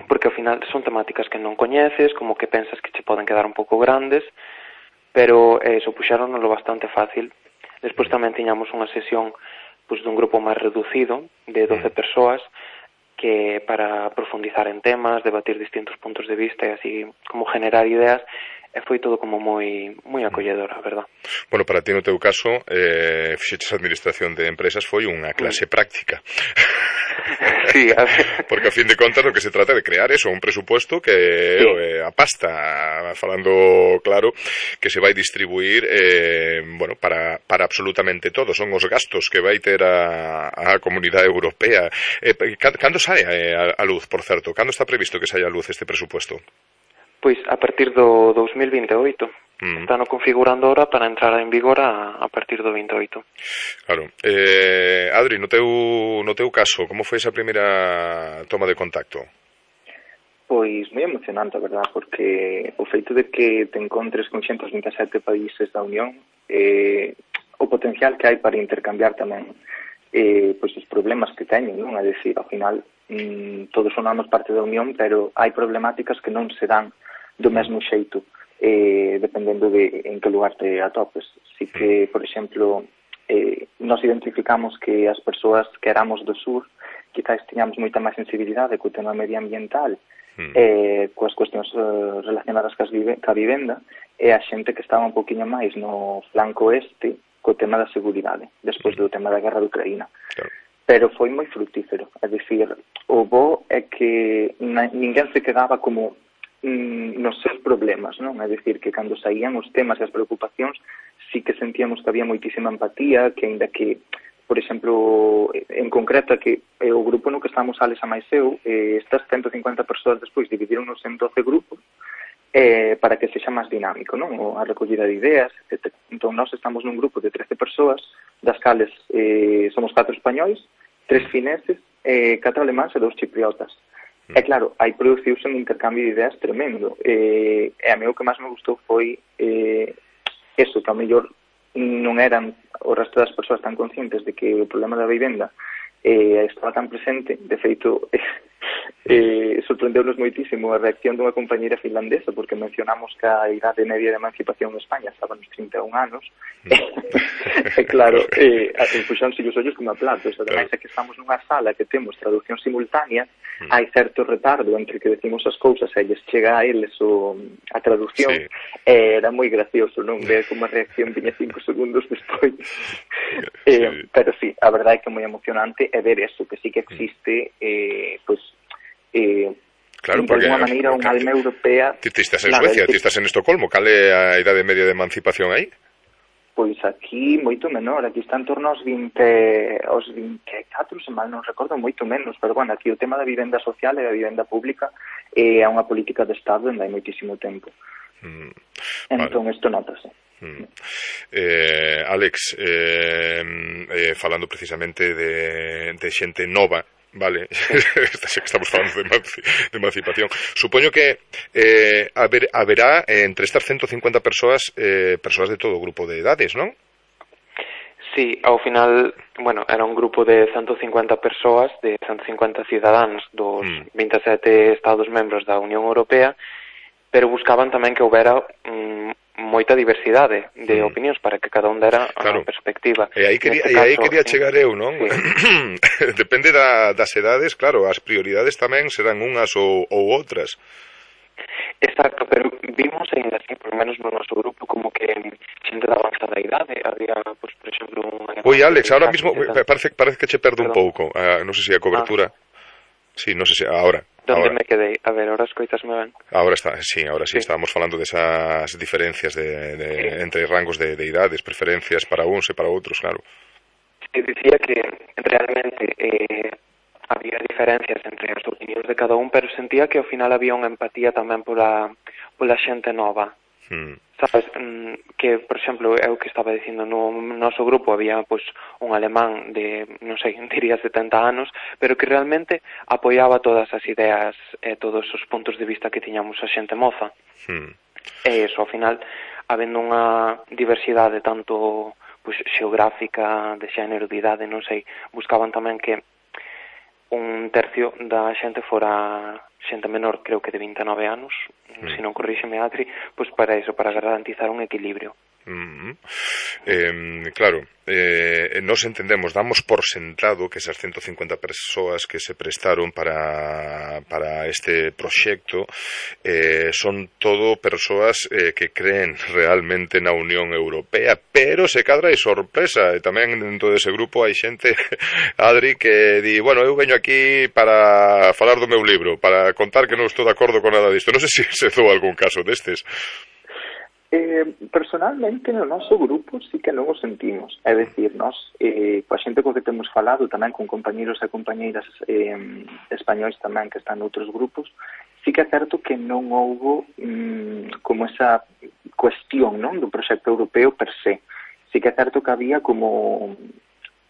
porque ao final son temáticas que non coñeces, como que pensas que che poden quedar un pouco grandes, pero eh, supuxéronolo bastante fácil. Despois tamén tiñamos unha sesión pues, dun grupo máis reducido, de doce persoas, que para profundizar en temas, debatir distintos puntos de vista e así como generar ideas, e foi todo como moi moi acolledor, a verdad. Bueno, para ti no teu caso, eh, fixeches administración de empresas, foi unha clase mm. práctica. Sí, a ver. Porque a fin de contas lo que se trata de crear eso, un presupuesto que sí. eh, a pasta, falando claro, que se vai distribuir eh, bueno, para, para absolutamente todo, son os gastos que vai ter a, a Comunidade Europea. Eh, cando sae a, a luz, por certo? Cando está previsto que saia a luz este presupuesto? Pois a partir do dos mil vinte e oito. Mm. Están configurando ahora para entrar en vigor a, a partir do vinte e oito. Claro. Eh, Adri, no teu, no teu caso, como foi esa primeira toma de contacto? Pois moi emocionante, a verdad, porque o feito de que te encontres con ciento vinte e sete países da Unión, eh, o potencial que hai para intercambiar tamén eh, pois os problemas que teñen, non? É dicir, ao final, mm, todos somos parte da Unión, pero hai problemáticas que non se dan do mesmo xeito, eh, dependendo de en que lugar te atopes. Así que, por exemplo, eh, nos identificamos que as persoas que éramos do sur quizás tiñamos moita máis sensibilidade co tema medioambiental, mm. eh, coas cuestións eh, relacionadas cas vive, ca vivenda, e a xente que estaba un poquinho máis no flanco oeste co tema da seguridade, despois do tema da guerra de Ucraína. Claro. Pero foi moi fructífero, é dicir, o bo é que na, ninguén se quedaba como nos seus problemas, non? É dicir, que cando saían os temas e as preocupacións, sí que sentíamos que había moitísima empatía, que ainda que, por exemplo, en concreto, que eh, o grupo no que estamos Alex a máis eu, eh, estas ciento cincuenta persoas despois dividironnos en doce grupos eh, para que sexa máis dinámico, non? O, a recollida de ideas, etcétera. Entón, nós estamos nun grupo de trece persoas, das cales eh, somos catro españois, tres fineses, eh, catro alemáns e dous chipriotas. E claro, hai produciuse un intercambio de ideas tremendo. Eh, e a mí o que máis me gustou foi eh, eso, que ao mellor non eran o resto das persoas tan conscientes de que o problema da vivenda eh, estaba tan presente. De feito, eh, sorprendeu-nos moitísimo a reacción dunha compañeira finlandesa, porque mencionamos que a idade media de emancipación en España estaba nos trinta e un anos. E claro, eh, puxáronse os ollos como a platos. Ademais, é que estamos nunha sala que temos traducción simultánea, hai certo retardo entre que decimos as cousas e lles chega a eles o, a traducción, sí. E era moi gracioso, non? Ver como a reacción viña cinco segundos despois. Sí. Eh, pero sí, a verdade é que é moi emocionante é ver eso, que sí que existe, eh, pues, eh, claro, de alguma maneira unha alma europea. Ti estás en claro, Suecia, ti estás en Estocolmo, cal é a idade media de emancipación aí? Pois aquí moito menor, aquí está en torno aos vinte, aos vinte e catro, se mal non recordo, moito menos, pero bueno, aquí o tema da vivenda social e da vivenda pública é unha política de Estado onde hai moitísimo tempo. Mm, entón, vale. Isto notase. Mm. Eh, Alex, eh, eh, falando precisamente de, de xente nova, Vale, estamos falando de, emanci de emancipación. Supoño que eh, haber, haberá eh, entre estas ciento cincuenta persoas eh, persoas de todo grupo de edades, non? Sí, ao final, bueno, era un grupo de ciento cincuenta persoas, de ciento cincuenta cidadáns dos mm. vinte e sete Estados membros da Unión Europea, pero buscaban tamén que houbera mm, moita diversidade de mm. opinións para que cada un dera claro. a perspectiva. E aí quería, e aí quería chegar eu, non? Sí. Depende da, das edades, claro, as prioridades tamén serán unhas ou, ou outras. Exacto, pero vimos ainda así, por lo menos no noso grupo, como que xente da avanzada idade, había, pues, por exemplo, un... Oi, Alex, ahora mismo parece, parece que che perdo un pouco, uh, non sei se a cobertura... Ah. Sí, non sei se... Ahora. Donde ahora. me quedei? A ver, ahora escoitasme ben. Ahora está, sí, ahora sí, sí. Estábamos falando desas de diferencias de, de, sí. entre rangos de, de idades, preferencias para uns e para outros, claro. Sí, dicía que realmente... Eh, había diferencias entre as opinións de cada un, pero sentía que ao final había unha empatía tamén pola, pola xente nova. Hmm. Sabes, que, por exemplo, é o que estaba dicindo, no noso grupo había pois un alemán de, non sei, diría setenta anos, pero que realmente apoiaba todas as ideas e todos os puntos de vista que tiñamos a xente moza. Hmm. E iso, ao final, habendo unha diversidade tanto pois xeográfica, de xénero, de idade, non sei, buscaban tamén que un tercio da xente fora xente menor, creo que de vinte e nove anos, mm. se non corríxeme Adri, pois para iso, para garantizar un equilibrio. Mm-hmm. eh, claro, eh, nos entendemos, damos por sentado que esas ciento cincuenta persoas que se prestaron para, para este proxecto eh, son todo persoas eh, que creen realmente na Unión Europea, pero se cadra hai sorpresa, e tamén dentro dese grupo hai xente, Adri, que di, bueno, eu veño aquí para falar do meu libro, para contar que non estou de acordo con nada disto. Non sei se se dou algún caso destes. Eh, personalmente no noso grupo sí que non o sentimos, é dicir, nós eh, coa xente co que temos falado tamén con compañeros e compañeiras eh, españois tamén que están noutros grupos, sí que é certo que non houbo mm, como esa cuestión, non, do proxecto europeo per se. Sí que é certo que había como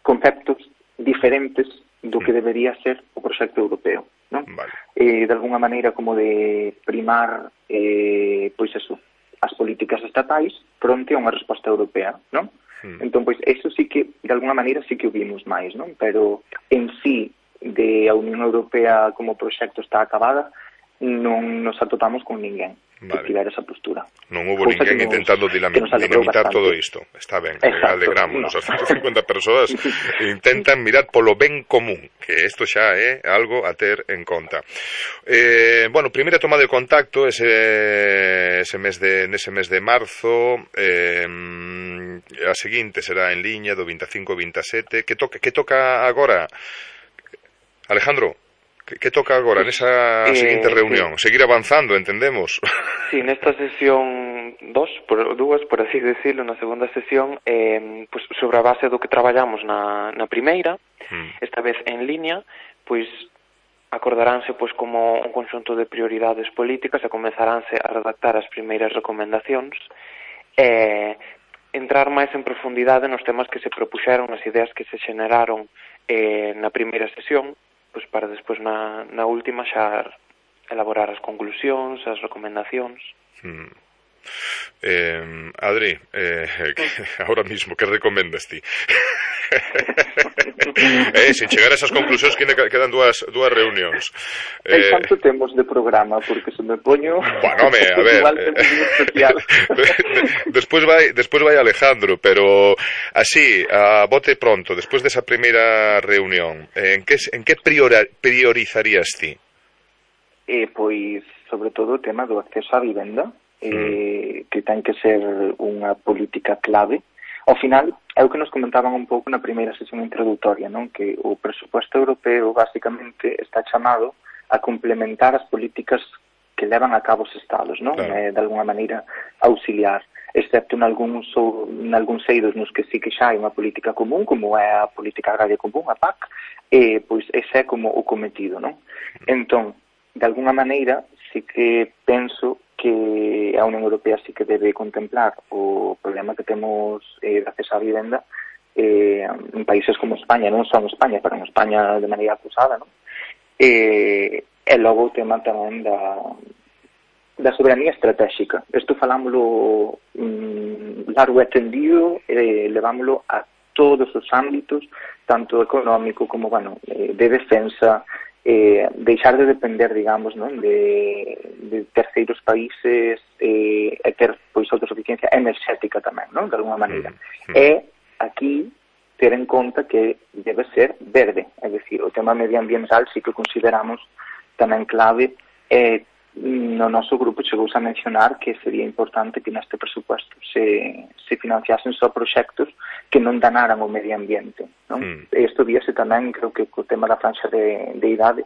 conceptos diferentes do que debería ser o proxecto europeo, non? Vale. Eh, de alguna maneira como de primar eh, pois eso, as políticas estatais fronte a unha resposta europea, non? Mm. Entón, pois, eso sí que, de alguna maneira, sí que o vimos máis, non? Pero, en sí, de a Unión Europea como proxecto está acabada, non nos atopamos con ninguén vale. que tivera esa postura. Non houve ninguén nos, intentando dinamitar bastante. Todo isto. Está ben, alegrámonos. No. As ciento cincuenta persoas intentan mirar polo ben común, que isto xa é algo a ter en conta. Eh, bueno, primeira toma de contacto ese, ese mes de, nese mes de marzo, eh, a seguinte será en liña do vinte e cinco ao vinte e sete. Que toca, que toca agora? Alejandro? Que, que toca agora nesa eh, seguinte reunión? Sí. Seguir avanzando, entendemos? Sí, nesta sesión dos, por, dúas, por así decirlo, na segunda sesión, eh, pues, sobre a base do que traballamos na, na primeira, mm. esta vez en línea, pois acordaránse pois como un conxunto de prioridades políticas e comezaránse a redactar as primeiras recomendacións e entrar máis en profundidade nos temas que se propuxeron, nas ideas que se xeneraron eh, na primeira sesión, pois para despois na, na última xa elaborar as conclusións, as recomendacións. Hmm. Eh, Adri, eh, ahora mismo, que recomendas ti? eh, sin chegar a esas conclusións que quedan dúas, dúas reunións. Eh, canto temos de programa? Porque se me poño... Bueno, home, a ver... Eh, despois vai, despois vai Alejandro, pero así, a bote pronto, despois desa primeira reunión, en que, en que priora, priorizarías ti? Eh, pois, sobre todo, o tema do acceso á vivenda, eh, que ten que ser unha política clave. Ao final, é o que nos comentaban un pouco na primeira sesión introductoria, non? Que o presupuesto europeo, basicamente, está chamado a complementar as políticas que levan a cabo os estados, non? Claro. Eh, de alguna maneira, auxiliar, excepto en algúns, en algúns eidos nos que sí que xa hai unha política común, como é a política agraria común, a P A C, eh, pois ese é como o cometido, non? Entón, de alguna maneira, sí que penso que a Unión Europea sí que debe contemplar o problema que temos eh, de acceso á vivenda eh, en países como España, non só en España, pero en España de maneira acusada, non? E, e logo o tema tamén da, da soberanía estratégica. Isto falámoslo mm, largo e tendido, e levámoslo a todos os ámbitos, tanto económico como, bueno, de defensa, eh, deixar de depender, digamos, non, de, de terceiros países, eh, e ter, pois, autosuficiencia enerxética tamén, non, de alguma maneira. Mm. E aquí ter en conta que debe ser verde, é dicir, o tema medioambiental sí que consideramos tamén clave, e no noso grupo chegouse a mencionar que sería importante que neste presupuesto se, se financiasen só proxectos que non danaran o medio ambiente, non? Mm. Isto víase tamén, creo que co tema da franxa de, de idade,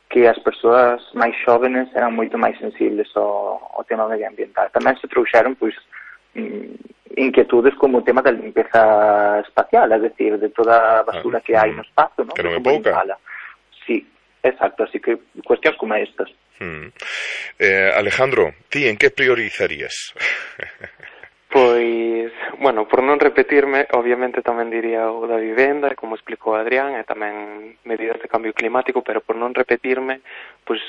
que as persoas máis xóvenes eran moito máis sensibles ao, ao tema medioambiental. Tamén se trouxeron, pois, inquietudes como o tema da limpeza espacial, é dicir, de toda a basura que hai no espazo, non? Que non é pouca. Sí, exacto, así que cuestións como estas. Hmm. Eh, Alejandro, ti en que priorizarías? Pois, bueno, por non repetirme, obviamente tamén diría o da vivenda, como explicou Adrián, e tamén medidas de cambio climático, pero por non repetirme, pois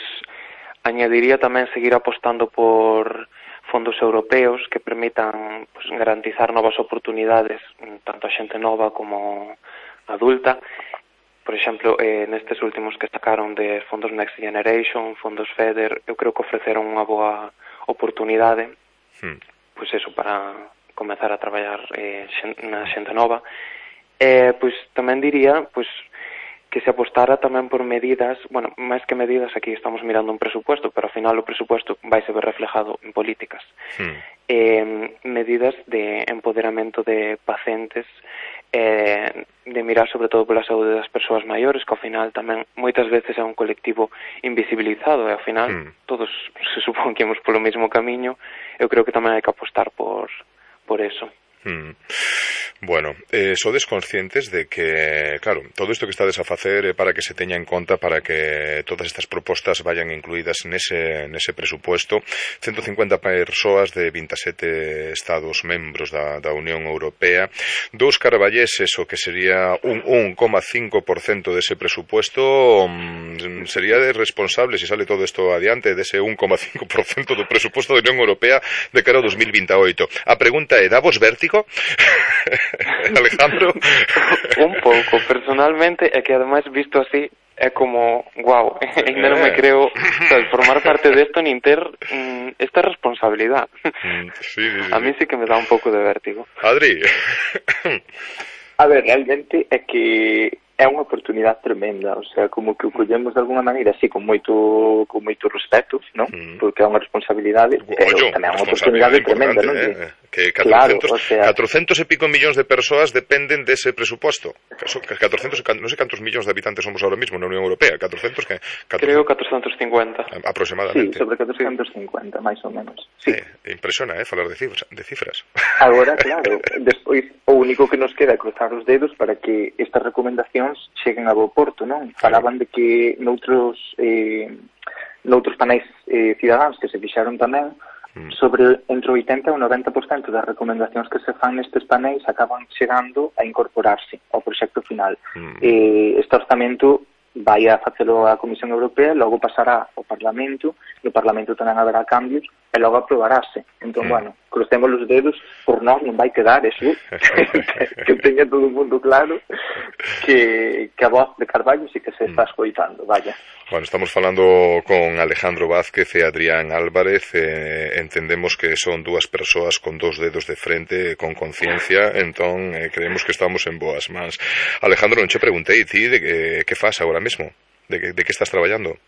añadiría tamén seguir apostando por fondos europeos que permitan, pues, garantizar novas oportunidades, tanto a xente nova como adulta. Por exemplo, eh, nestes últimos que sacaron de fondos Next Generation, fondos FEDER, eu creo que ofreceron unha boa oportunidade, hmm. pois eso, para comezar a traballar eh, na xente nova. Eh, pois tamén diría, pois, que se apostara tamén por medidas, bueno, máis que medidas, aquí estamos mirando un presupuesto, pero ao final o presupuesto vai se ver reflejado en políticas. Hmm. Eh, medidas de empoderamento de pacientes, eh, de mirar sobre todo pola saúde das persoas maiores, que ao final tamén moitas veces é un colectivo invisibilizado, e ao final hmm. todos se supón que íamos polo mesmo camiño. Eu creo que tamén hai que apostar por, por eso. Hmm. Bueno, eh, sodes conscientes de que, claro, todo isto que estades a facer é para que se teña en conta, para que todas estas propostas vayan incluídas nese, nese presupuesto. ciento cincuenta persoas de vinte e sete estados membros da, da Unión Europea, dous carballeses, o que sería un un coma cinco por cento dese presupuesto, um, sería de responsable, se sale todo isto adiante, dese un coma cinco por cento do presupuesto da Unión Europea de cara ao dos mil veintioito. A pregunta é, dá vos vértigo? Alejandro. Un pouco, personalmente, é que ademais visto así é como, guau, ainda non me creo, o sea, formar parte desto nin ter mm, esta responsabilidade. Mm, sí, sí, sí. A mí sí que me dá un pouco de vértigo. Adri. A ver, realmente é que é unha oportunidade tremenda, o sea, como que o collemos de alguna maneira así, con moito con moito respeto, non? Mm. Porque é unha responsabilidade, pero tamén é unha oportunidade tremenda, non? Eh? Que catrocentos, claro, o sea, catrocentos e pico millóns de persoas dependen dese presupuesto. catrocentos, non sei cantos millóns de habitantes somos ahora mismo na Unión Europea, catrocentos que catrocentos, creo catrocentos cincuenta aproximadamente. Sí, sobre catrocentos cincuenta, máis ou menos. Sí. Eh, impresiona, eh, falar de cifras, de cifras. Agora, claro, despois o único que nos queda é cruzar os dedos para que estas recomendacións cheguen a bo porto, non? Falaban de que noutros eh, noutros panéis eh, cidadáns que se fixaron tamén, sobre entre o oitenta e o noventa por cento das recomendacións que se fan nestes panéis acaban chegando a incorporarse ao proxecto final. Mm. Eh, este orzamento vai a facelo a Comisión Europea, logo pasará ao Parlamento, no Parlamento tamén haberá cambios, e logo aprobarase. Entón, mm. bueno, crucemos os dedos, por nós non vai quedar eso, que teña todo o mundo claro, que, que a voz de Carballo sí que se está escoitando, vaya. Bueno, estamos falando con Alejandro Vázquez e Adrián Álvarez, eh, entendemos que son dúas persoas con dous dedos de frente, con conciencia, entón eh, creemos que estamos en boas mans. Alejandro, non che preguntei ti de que, que faz agora mesmo, de que, de que estás traballando?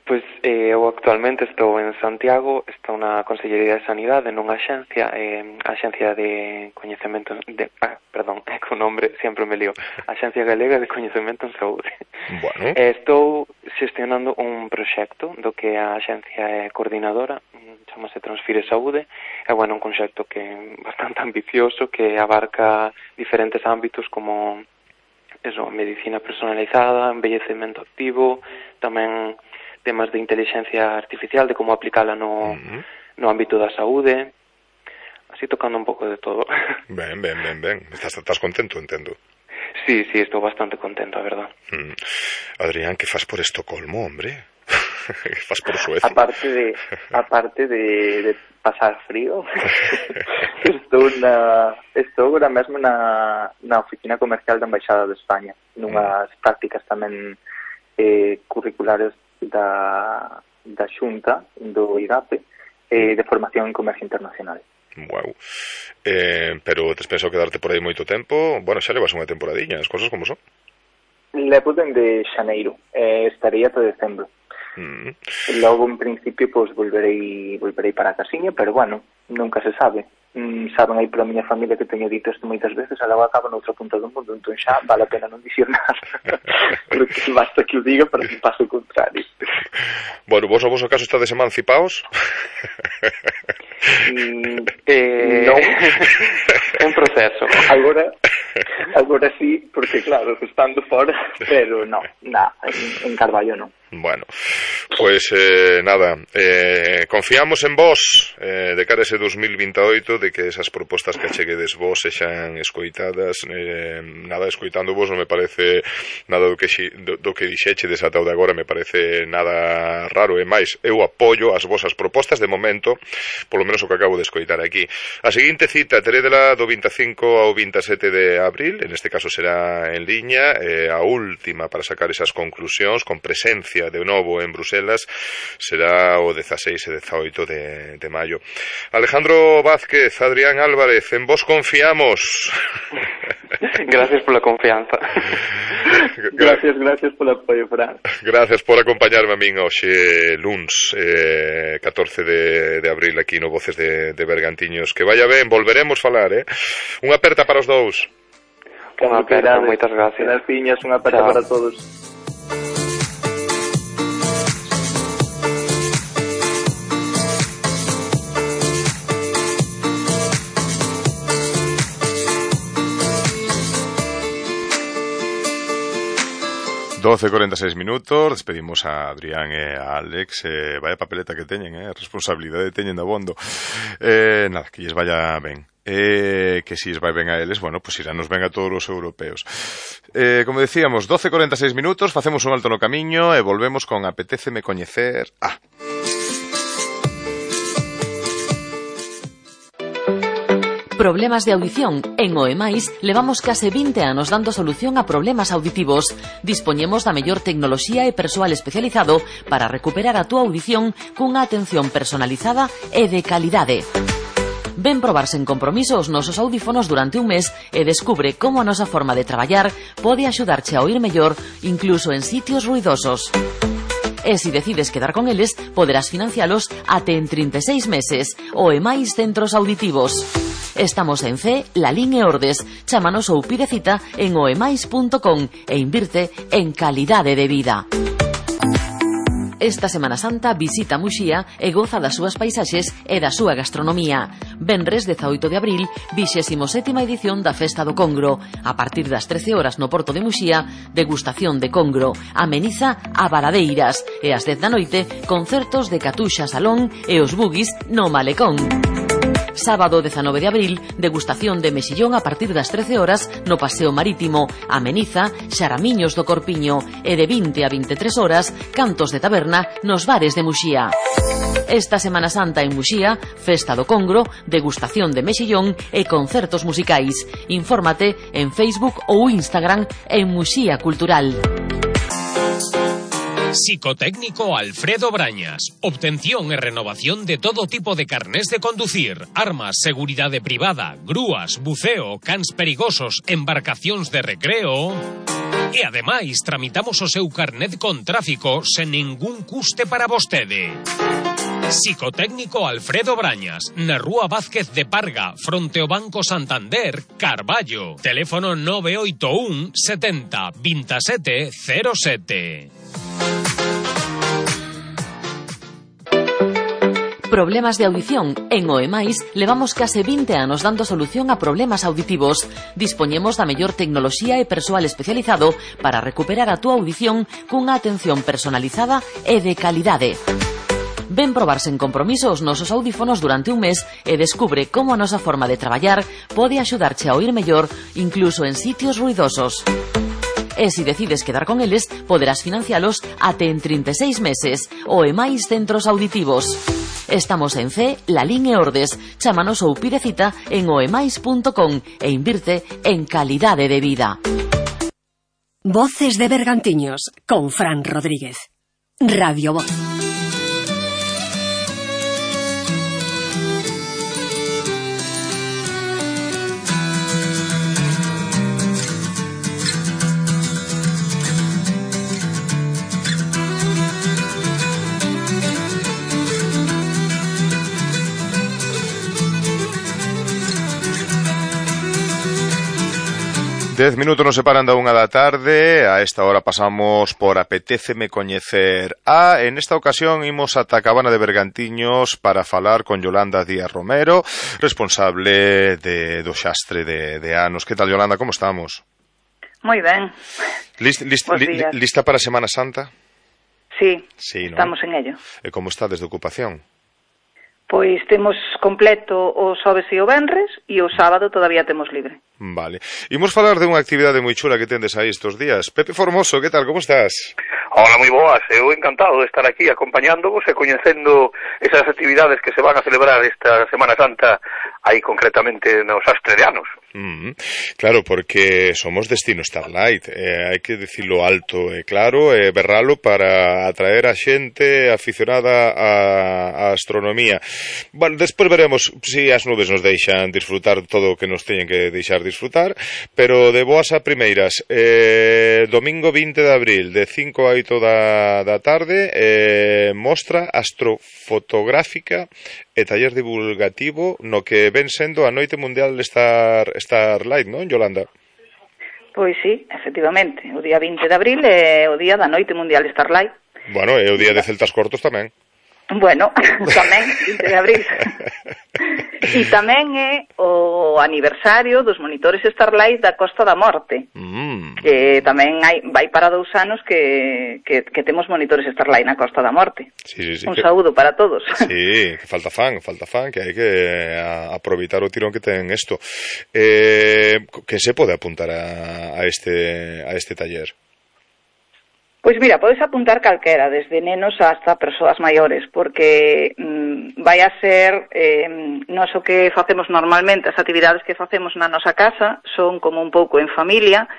Pois eh, eu actualmente estou en Santiago, estou na Consellería de Sanidade, nunha axencia, eh, Axencia de Coñecemento de, ah, perdón, é que o nombre sempre me lío, Axencia Galega de Coñecemento en Saúde. Bueno. Eh, estou xestionando un proxecto do que a axencia é coordinadora, chamase Transfire Saúde, é bueno, un conxecto que é bastante ambicioso, que abarca diferentes ámbitos como eso, medicina personalizada, envellecemento activo, tamén temas de inteligencia artificial, de como aplicala no, uh-huh. no ámbito da saúde, así tocando un pouco de todo. Ben, ben, ben, ben. Estás, estás contento, entendo. Sí, sí, estou bastante contento, a verdad. Mm. Adrián, que fas por Estocolmo, hombre? Que fas por Suecia? Aparte de, aparte de, de pasar frío, estou na, estou agora mesmo na, na oficina comercial da Embaixada de España, nunhas mm. prácticas tamén eh, curriculares da, da Xunta, do I G A P, eh, de formación en comercio internacional. Wow. Eh, pero tes pensado quedarte por aí moito tempo? Bueno, xa levas unha temporadiña, as cosas como son. Levo dende xaneiro, eh, estaría ata decembro. Mm. Logo, en principio, pois volverei volverei para a casiña, pero bueno, nunca se sabe. Mm, saben aí pola miña familia que teño dito isto moitas veces, a logo acaba noutra punta do mundo, entón xa vale a pena non dicir nada. Porque basta que o diga para que pase o contrario. Bueno, vos o vosso caso estades emancipados? Mm, eh, non. En proceso. Agora, agora sí, porque claro, estando fora, pero no, na, en, en Carballo non. Bueno, pues eh, nada, eh, confiamos en vos eh, de cara a ese dos mil veintioito, de que esas propostas que acheguedes vos sexan escoitadas. Eh, nada, escoitando vos non me parece nada do que, do, do que dixeche desatado de agora, me parece nada raro, e máis, eu apoio as vosas propostas de momento, polo menos o que acabo de escoitar aquí. A seguinte cita terédela do veinticinco ao veintisiete de abril, en este caso será en liña, eh, a última para sacar esas conclusións, con presencia de novo en Bruselas, será o dieciséis e diecioito de, de maio. Alejandro Vázquez, Adrián Álvarez, en vos confiamos. Gracias pola confianza. Gracias, gracias polo apoio, Fran. Gracias por acompañarme a min hoxe luns eh, catorce de, de abril aquí no Voces de, de Bergantiños. Que vaya ben, volveremos falar, eh? Unha aperta para os dous. Unha aperta, moitas gracias. Gracias, unha aperta para todos. doce e cuarenta e seis minutos, despedimos a Adrián e a Alex. Eh, vaya papeleta que teñen, eh, responsabilidade teñen de abondo. Eh, nada, que lles vaya ben. Eh, que si es vai ben a eles, bueno, pues iranos ben a todos os europeos. Eh, como decíamos, doce e cuarenta e seis minutos, facemos un alto no camiño e volvemos con Apetéceme coñecer a... Problemas de audición. En Oemais levamos case vinte anos dando solución a problemas auditivos. Dispoñemos da mellor tecnoloxía e persoal especializado para recuperar a túa audición cunha atención personalizada e de calidade. Ven probar sen compromiso os nosos audífonos durante un mes e descubre como a nosa forma de traballar pode axudarche a oír mellor incluso en sitios ruidosos. E se decides quedar con eles, poderás financialos até en trinta e seis meses. Oemais Centros Auditivos. Estamos en C, Lalín e Ordes. Chámanos ou pide cita en oemais punto com e invirte en calidade de vida. Esta Semana Santa visita Muxía e goza das súas paisaxes e da súa gastronomía. Venres dezaoito de abril, vixésimo sétima edición da Festa do Congro. A partir das trece horas no Porto de Muxía, degustación de congro. Ameniza a Baradeiras. E ás dez da noite, concertos de Catuxa Salón e os Bugis no Malecón. Sábado dezanove de abril, degustación de mexillón a partir das trece horas no Paseo Marítimo. Ameniza, Xaramiños do Corpiño. E de vinte a vinte e tres horas, cantos de taberna nos bares de Muxía. Esta Semana Santa en Muxía, Festa do Congro, degustación de mexillón e concertos musicais. Infórmate en Facebook ou Instagram en Muxía Cultural. Psicotécnico Alfredo Brañas. Obtención e renovación de todo tipo de carnés de conducir, armas, seguridade privada, grúas, buceo, cans perigosos, embarcacións de recreo. E ademais tramitamos o seu carnet con tráfico sen ningún custe para vostede. Psicotécnico Alfredo Brañas, na Rúa Vázquez de Parga, fronte ao Banco Santander, Carballo. Teléfono nove oito un setenta veintisiete cero sete. Problemas de audición. En Oemais levamos case vinte anos dando solución a problemas auditivos. Dispoñemos da mellor tecnoloxía e persoal especializado para recuperar a túa audición cunha atención personalizada e de calidade. Ven probar sen compromiso os nosos audífonos durante un mes e descubre como a nosa forma de traballar pode axudarche a oír mellor incluso en sitios ruidosos. E se decides quedar con eles, poderás financialos até en trinta e seis meses ou e máis centros auditivos. Estamos en C, Lalín e Ordes. Chámanos ou pide cita en oemais punto com e invirte en calidade de vida. Voces de Bergantiños con Fran Rodríguez. Radio Voz. Dez minutos nos separan da unha da tarde. A esta hora pasamos por Apetéceme Coñecer a. En esta ocasión imos ata a Cabana de Bergantiños para falar con Yolanda Díaz Romero, responsable de, do xastre de, de anos. Que tal, Yolanda, como estamos? Moi ben. List, list, li, lista para Semana Santa? Sí, sí, ¿no? Estamos en ello. E como está desde ocupación? Pois temos completo o xoves e o venres e o sábado todavía temos libre. Vale. Imos falar de unha actividade moi chula que tendes aí estes días. Pepe Formoso, que tal, como estás? Hola, moi boas. Eu encantado de estar aquí acompañándovos e coñecendo esas actividades que se van a celebrar esta Semana Santa aí concretamente no Xastre de Anos. Mm, claro, porque somos destino Starlight, eh, hai que dicilo alto e claro, e eh, berralo para atraer a xente aficionada a, a astronomía. Bueno, despois veremos se si as nubes nos deixan disfrutar todo o que nos teñen que deixar disfrutar, pero de boas a primeiras, eh, domingo vinte de abril, de cinco a oito da, da tarde, eh, mostra astrofotográfica e taller divulgativo no que ven sendo a Noite Mundial Star, Starlight, non, Yolanda? Pois sí, efectivamente. O día vinte de abril é o día da Noite Mundial Starlight. Bueno, é o día de Celtas Cortos tamén. Bueno, tamén, vinte de abril. E tamén é o aniversario dos monitores Starlight da Costa da Morte. Mm. Que tamén hai, vai para dous anos que, que, que temos monitores Starlight na Costa da Morte. Sí, sí, sí, Un que... saúdo para todos. Sí, que falta fan, falta fan, que hai que aproveitar o tirón que ten isto. Eh, que se pode apuntar a, a, este, a este taller? Pois mira, podes apuntar calquera, desde nenos hasta persoas maiores, porque mm, vai a ser eh, nos o que facemos normalmente, as actividades que facemos na nosa casa son como un pouco en familia,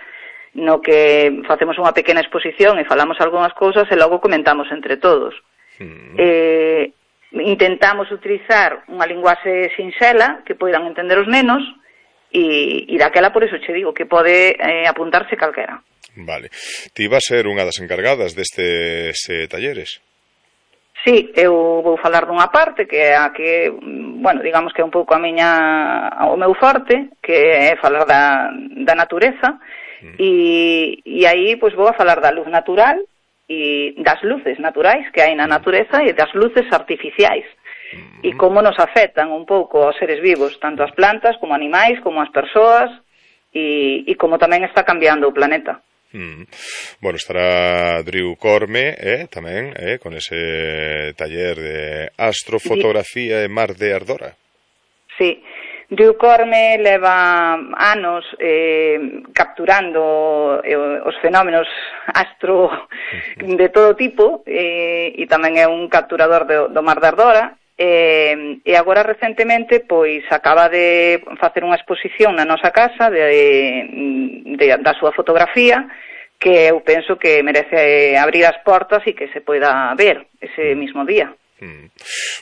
no que facemos unha pequena exposición e falamos algunhas cousas e logo comentamos entre todos. Mm. Eh, intentamos utilizar unha linguaxe sinxela que poidan entender os nenos e, e daquela por eso che digo que pode eh, apuntarse calquera. Vale. Ti vas ser unha das encargadas destes eh, talleres? Sí, eu vou falar dunha parte que é a que, bueno, digamos que é un pouco a miña, o meu forte, que é falar da, da natureza, mm. e, e aí pois vou a falar da luz natural e das luces naturais que hai na natureza e das luces artificiais. Mm. E como nos afectan un pouco aos seres vivos, tanto as plantas como animais, como as persoas, e, e como tamén está cambiando o planeta. Mm. Bueno, estará Drew Corme eh, tamén eh, con ese taller de astrofotografía e mar de Ardora. Sí, Drew Corme leva anos eh, capturando eh, os fenómenos astro de todo tipo eh, e tamén é un capturador do, do mar de Ardora. E, e agora recentemente pois acaba de facer unha exposición na nosa casa de, de, da súa fotografía que eu penso que merece abrir as portas e que se poida ver ese mismo día. Mm.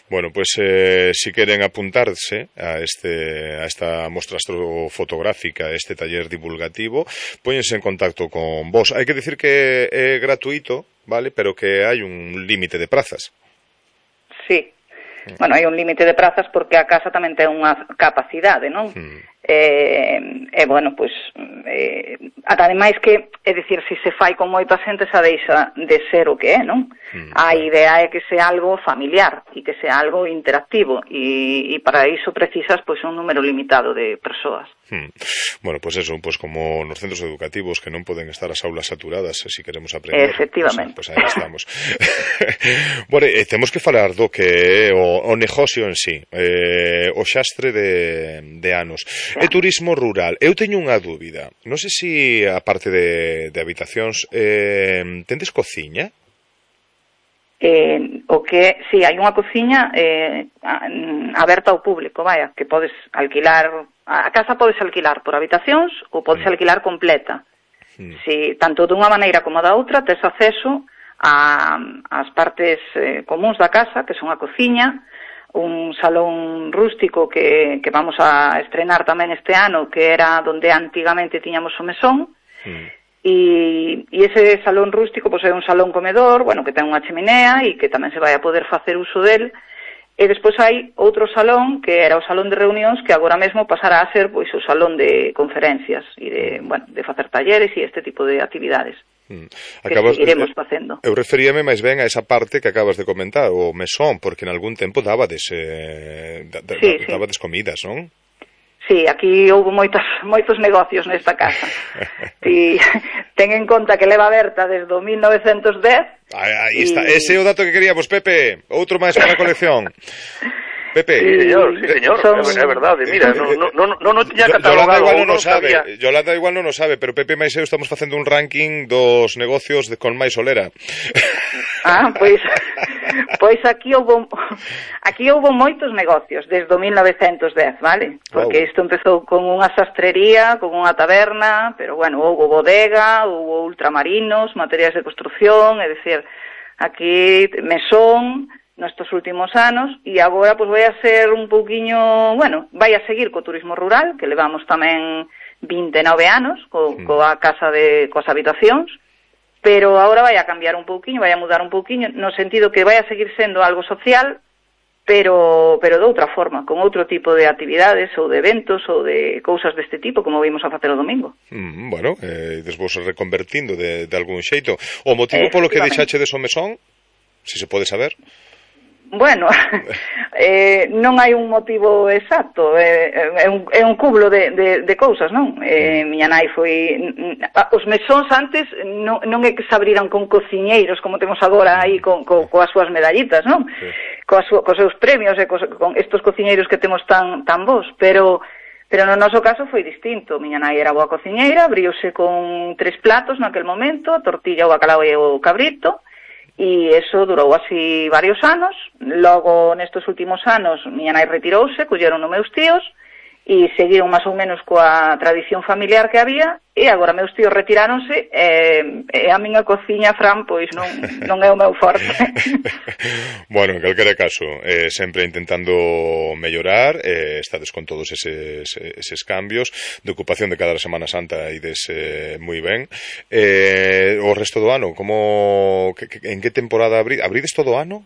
Bueno, pues eh, si queren apuntarse a este a esta mostra astrofotográfica, a este taller divulgativo, póñense en contacto con vos. Hai que decir que é gratuito, vale, pero que hai un límite de prazas. Sí. bueno, hai un límite de prazas porque a casa tamén ten unha capacidade, non? Mm. E, e, bueno, pois, eh, ademais que, é dicir, se se fai con moita xente xa deixa de ser o que é, non? Mm. A idea é que sea algo familiar e que sea algo interactivo e, e para iso precisas, pois, un número limitado de persoas. Hmm. Bueno, pues eso, pues como nos centros educativos que non poden estar as aulas saturadas se si queremos aprender. Efectivamente. Pues, pues aí estamos. Bueno, eh, temos que falar do que é o, o negocio en sí, eh, o xastre de, de anos. Sí. E turismo rural. Eu teño unha dúbida. Non sei se, si, a parte de, de habitacións, eh, tendes cociña? Eh, o que, si, sí, hai unha cociña eh, aberta ao público, vaya, que podes alquilar, a casa podes alquilar por habitacións ou podes mm. alquilar completa. Mm. Si, tanto dunha maneira como da outra, tes acceso a, as partes eh, comuns da casa, que son a cociña, un salón rústico que, que vamos a estrenar tamén este ano, que era donde antigamente tiñamos o mesón, mm. E, e ese salón rústico pois é un salón comedor, bueno, que ten unha cheminea e que tamén se vai a poder facer uso del. E despois hai outro salón que era o salón de reunións que agora mesmo pasará a ser pois o salón de conferencias e de, bueno, de facer talleres e este tipo de actividades. Mm. Acabas, que seguiremos facendo. Eu referíame máis ben a esa parte que acabas de comentar, o mesón, porque en algún tempo dabades, eh, da, da, sí, dabades sí. comidas, non? Sí, aquí houve moitos, moitos negocios nesta casa. E ten en conta que leva aberta desde o mil novecentos dez. Aí, aí está, y... ese é o dato que queríamos, Pepe. Outro máis para a colección. Pepe. Sí, señor, sí, señor, son... é verdade, mira, non no, no, no, no tiña Yolanda catalogado. igual non o sabe, sabía. Yolanda igual non o sabe, pero Pepe máis eu estamos facendo un ranking dos negocios de, con máis solera. Ah, pois pois aquí houve aquí houve moitos negocios desde o mil novecentos dez, vale? Porque isto wow. empezou con unha sastrería, con unha taberna, pero bueno, houve bodega, houve ultramarinos, materiais de construción, é dicir, aquí mesón nestes últimos anos, e agora pois vai a ser un pouquiño, bueno, vai a seguir co turismo rural, que levamos tamén vinte e nove anos co, mm. coa casa de coas habitacións, pero agora vai a cambiar un pouquiño, vai a mudar un pouquiño, no sentido que vai a seguir sendo algo social, pero pero de outra forma, con outro tipo de actividades ou de eventos ou de cousas deste tipo, como vimos a facer o domingo. Mm, bueno, eh, despois reconvertindo de, de algún xeito. O motivo polo que deixache de mesón, se se pode saber? Bueno, eh, non hai un motivo exacto, é, é, un, é un cúmulo de, de, de cousas, non? Eh, miña nai foi... Os mesóns antes non, non é que se abriran con cociñeiros, como temos agora aí con, co, coas súas medallitas, non? Sí. Coas, cos seus premios e cos, con estos cociñeiros que temos tan, tan bons, pero... Pero no noso caso foi distinto. Miña nai era boa cociñeira, abriuse con tres platos naquel momento, a tortilla, o bacalao e o cabrito, e eso durou así varios anos. Logo, nestes últimos anos, miña nai retirouse, colleron os meus tíos e seguiron máis ou menos coa tradición familiar que había, e agora meus tíos retiráronse e, e a miña cociña, Fran, pois non, non é o meu forte. Bueno, en calquera caso, eh, sempre intentando mellorar, eh, estades con todos eses, eses cambios de ocupación de cada Semana Santa e des eh, moi ben. Eh, o resto do ano, como que, que, en que temporada abri, abrides todo o ano?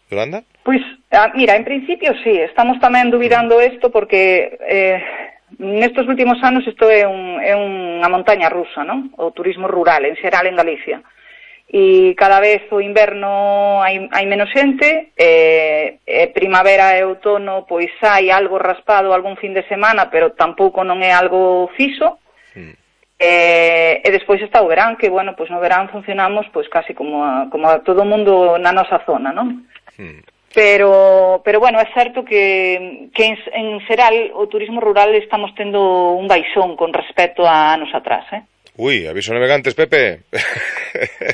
Yolanda? Pois, ah, mira, en principio sí, estamos tamén dubidando isto porque eh, nestes últimos anos isto é, un, é unha montaña rusa, non? O turismo rural, en xeral en Galicia. E cada vez o inverno hai, hai menos xente, eh, eh, primavera e outono pois hai algo raspado algún fin de semana, pero tampouco non é algo fixo. Mm. Eh, e despois está o verán, que, bueno, pois no verán funcionamos pois casi como a, como a todo o mundo na nosa zona, non? Hmm. Pero, pero bueno, é certo que, que en, en xeral o turismo rural estamos tendo un baixón con respecto a anos atrás, eh? Ui, aviso navegantes, Pepe.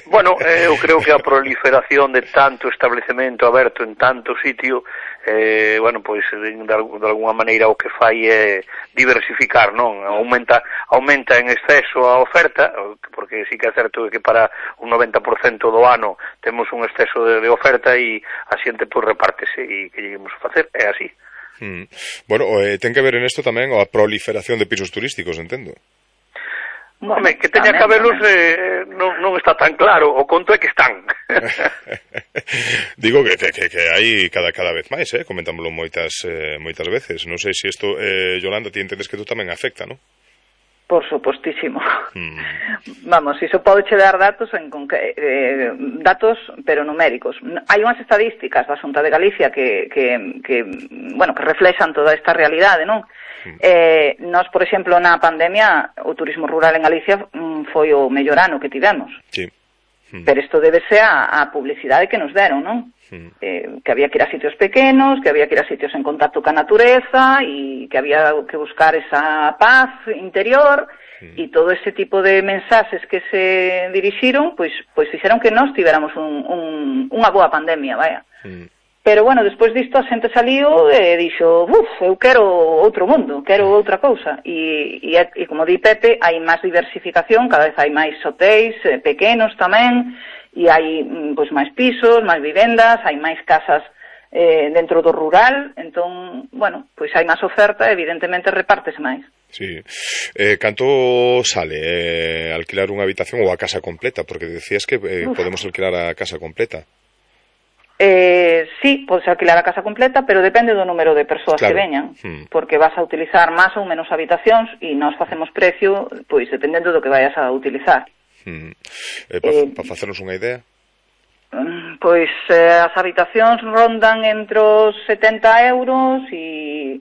Bueno, eh, eu creo que a proliferación de tanto establecemento aberto en tanto sitio, eh, bueno, pois de, de alguna maneira o que fai é diversificar, non? Aumenta, aumenta en exceso a oferta, porque sí que é certo que para un noventa por cento do ano temos un exceso de, de oferta e a xente pois repártese e que lleguemos a facer, é así. Hmm. Bueno, eh, ten que ver en isto tamén a proliferación de pisos turísticos, entendo. Bueno, Home, que teña cabelos eh, non, non está tan claro, o conto é que están. Digo que, que, que hai cada cada vez máis, eh? Comentámoslo moitas eh, moitas veces. Non sei se isto, eh, Yolanda, ti entendes que tú tamén afecta, non? Por supostísimo. Mm. Vamos, iso pode che dar datos en conque, eh, datos pero numéricos. Hai unhas estadísticas da Xunta de Galicia que, que, que bueno, que reflexan toda esta realidade, non? Mm. Eh, nós, por exemplo, na pandemia, o turismo rural en Galicia mm, foi o mellor ano que tivemos. Sí. Mm. Pero isto débese á, á publicidade que nos deron, non? Mm. Eh, que había que ir a sitios pequenos, que había que ir a sitios en contacto ca natureza e que había que buscar esa paz interior mm. e todo ese tipo de mensaxes que se dirixiron, pois, pois fixeron que nós tiveramos un, un, unha boa pandemia, vaya. Mm. Pero, bueno, despois disto a xente saliu e dixo, uf, eu quero outro mundo, quero outra cousa. E, e, e como di Pepe, hai máis diversificación, cada vez hai máis hotéis, eh, pequenos tamén, e hai pois máis pisos, máis vivendas, hai máis casas eh, dentro do rural, entón, bueno, pois hai máis oferta, evidentemente repártese máis. Sí. Eh, canto sale eh, alquilar unha habitación ou a casa completa? Porque decías que eh, podemos alquilar a casa completa. Eh, sí, podes alquilar a casa completa, pero depende do número de persoas claro. que veñan, hmm. porque vas a utilizar máis ou menos habitacións e nós facemos precio, pois dependendo do que vayas a utilizar. Hmm. Eh, para eh, pa facernos unha idea? Pois eh, as habitacións rondan entre os setenta euros e,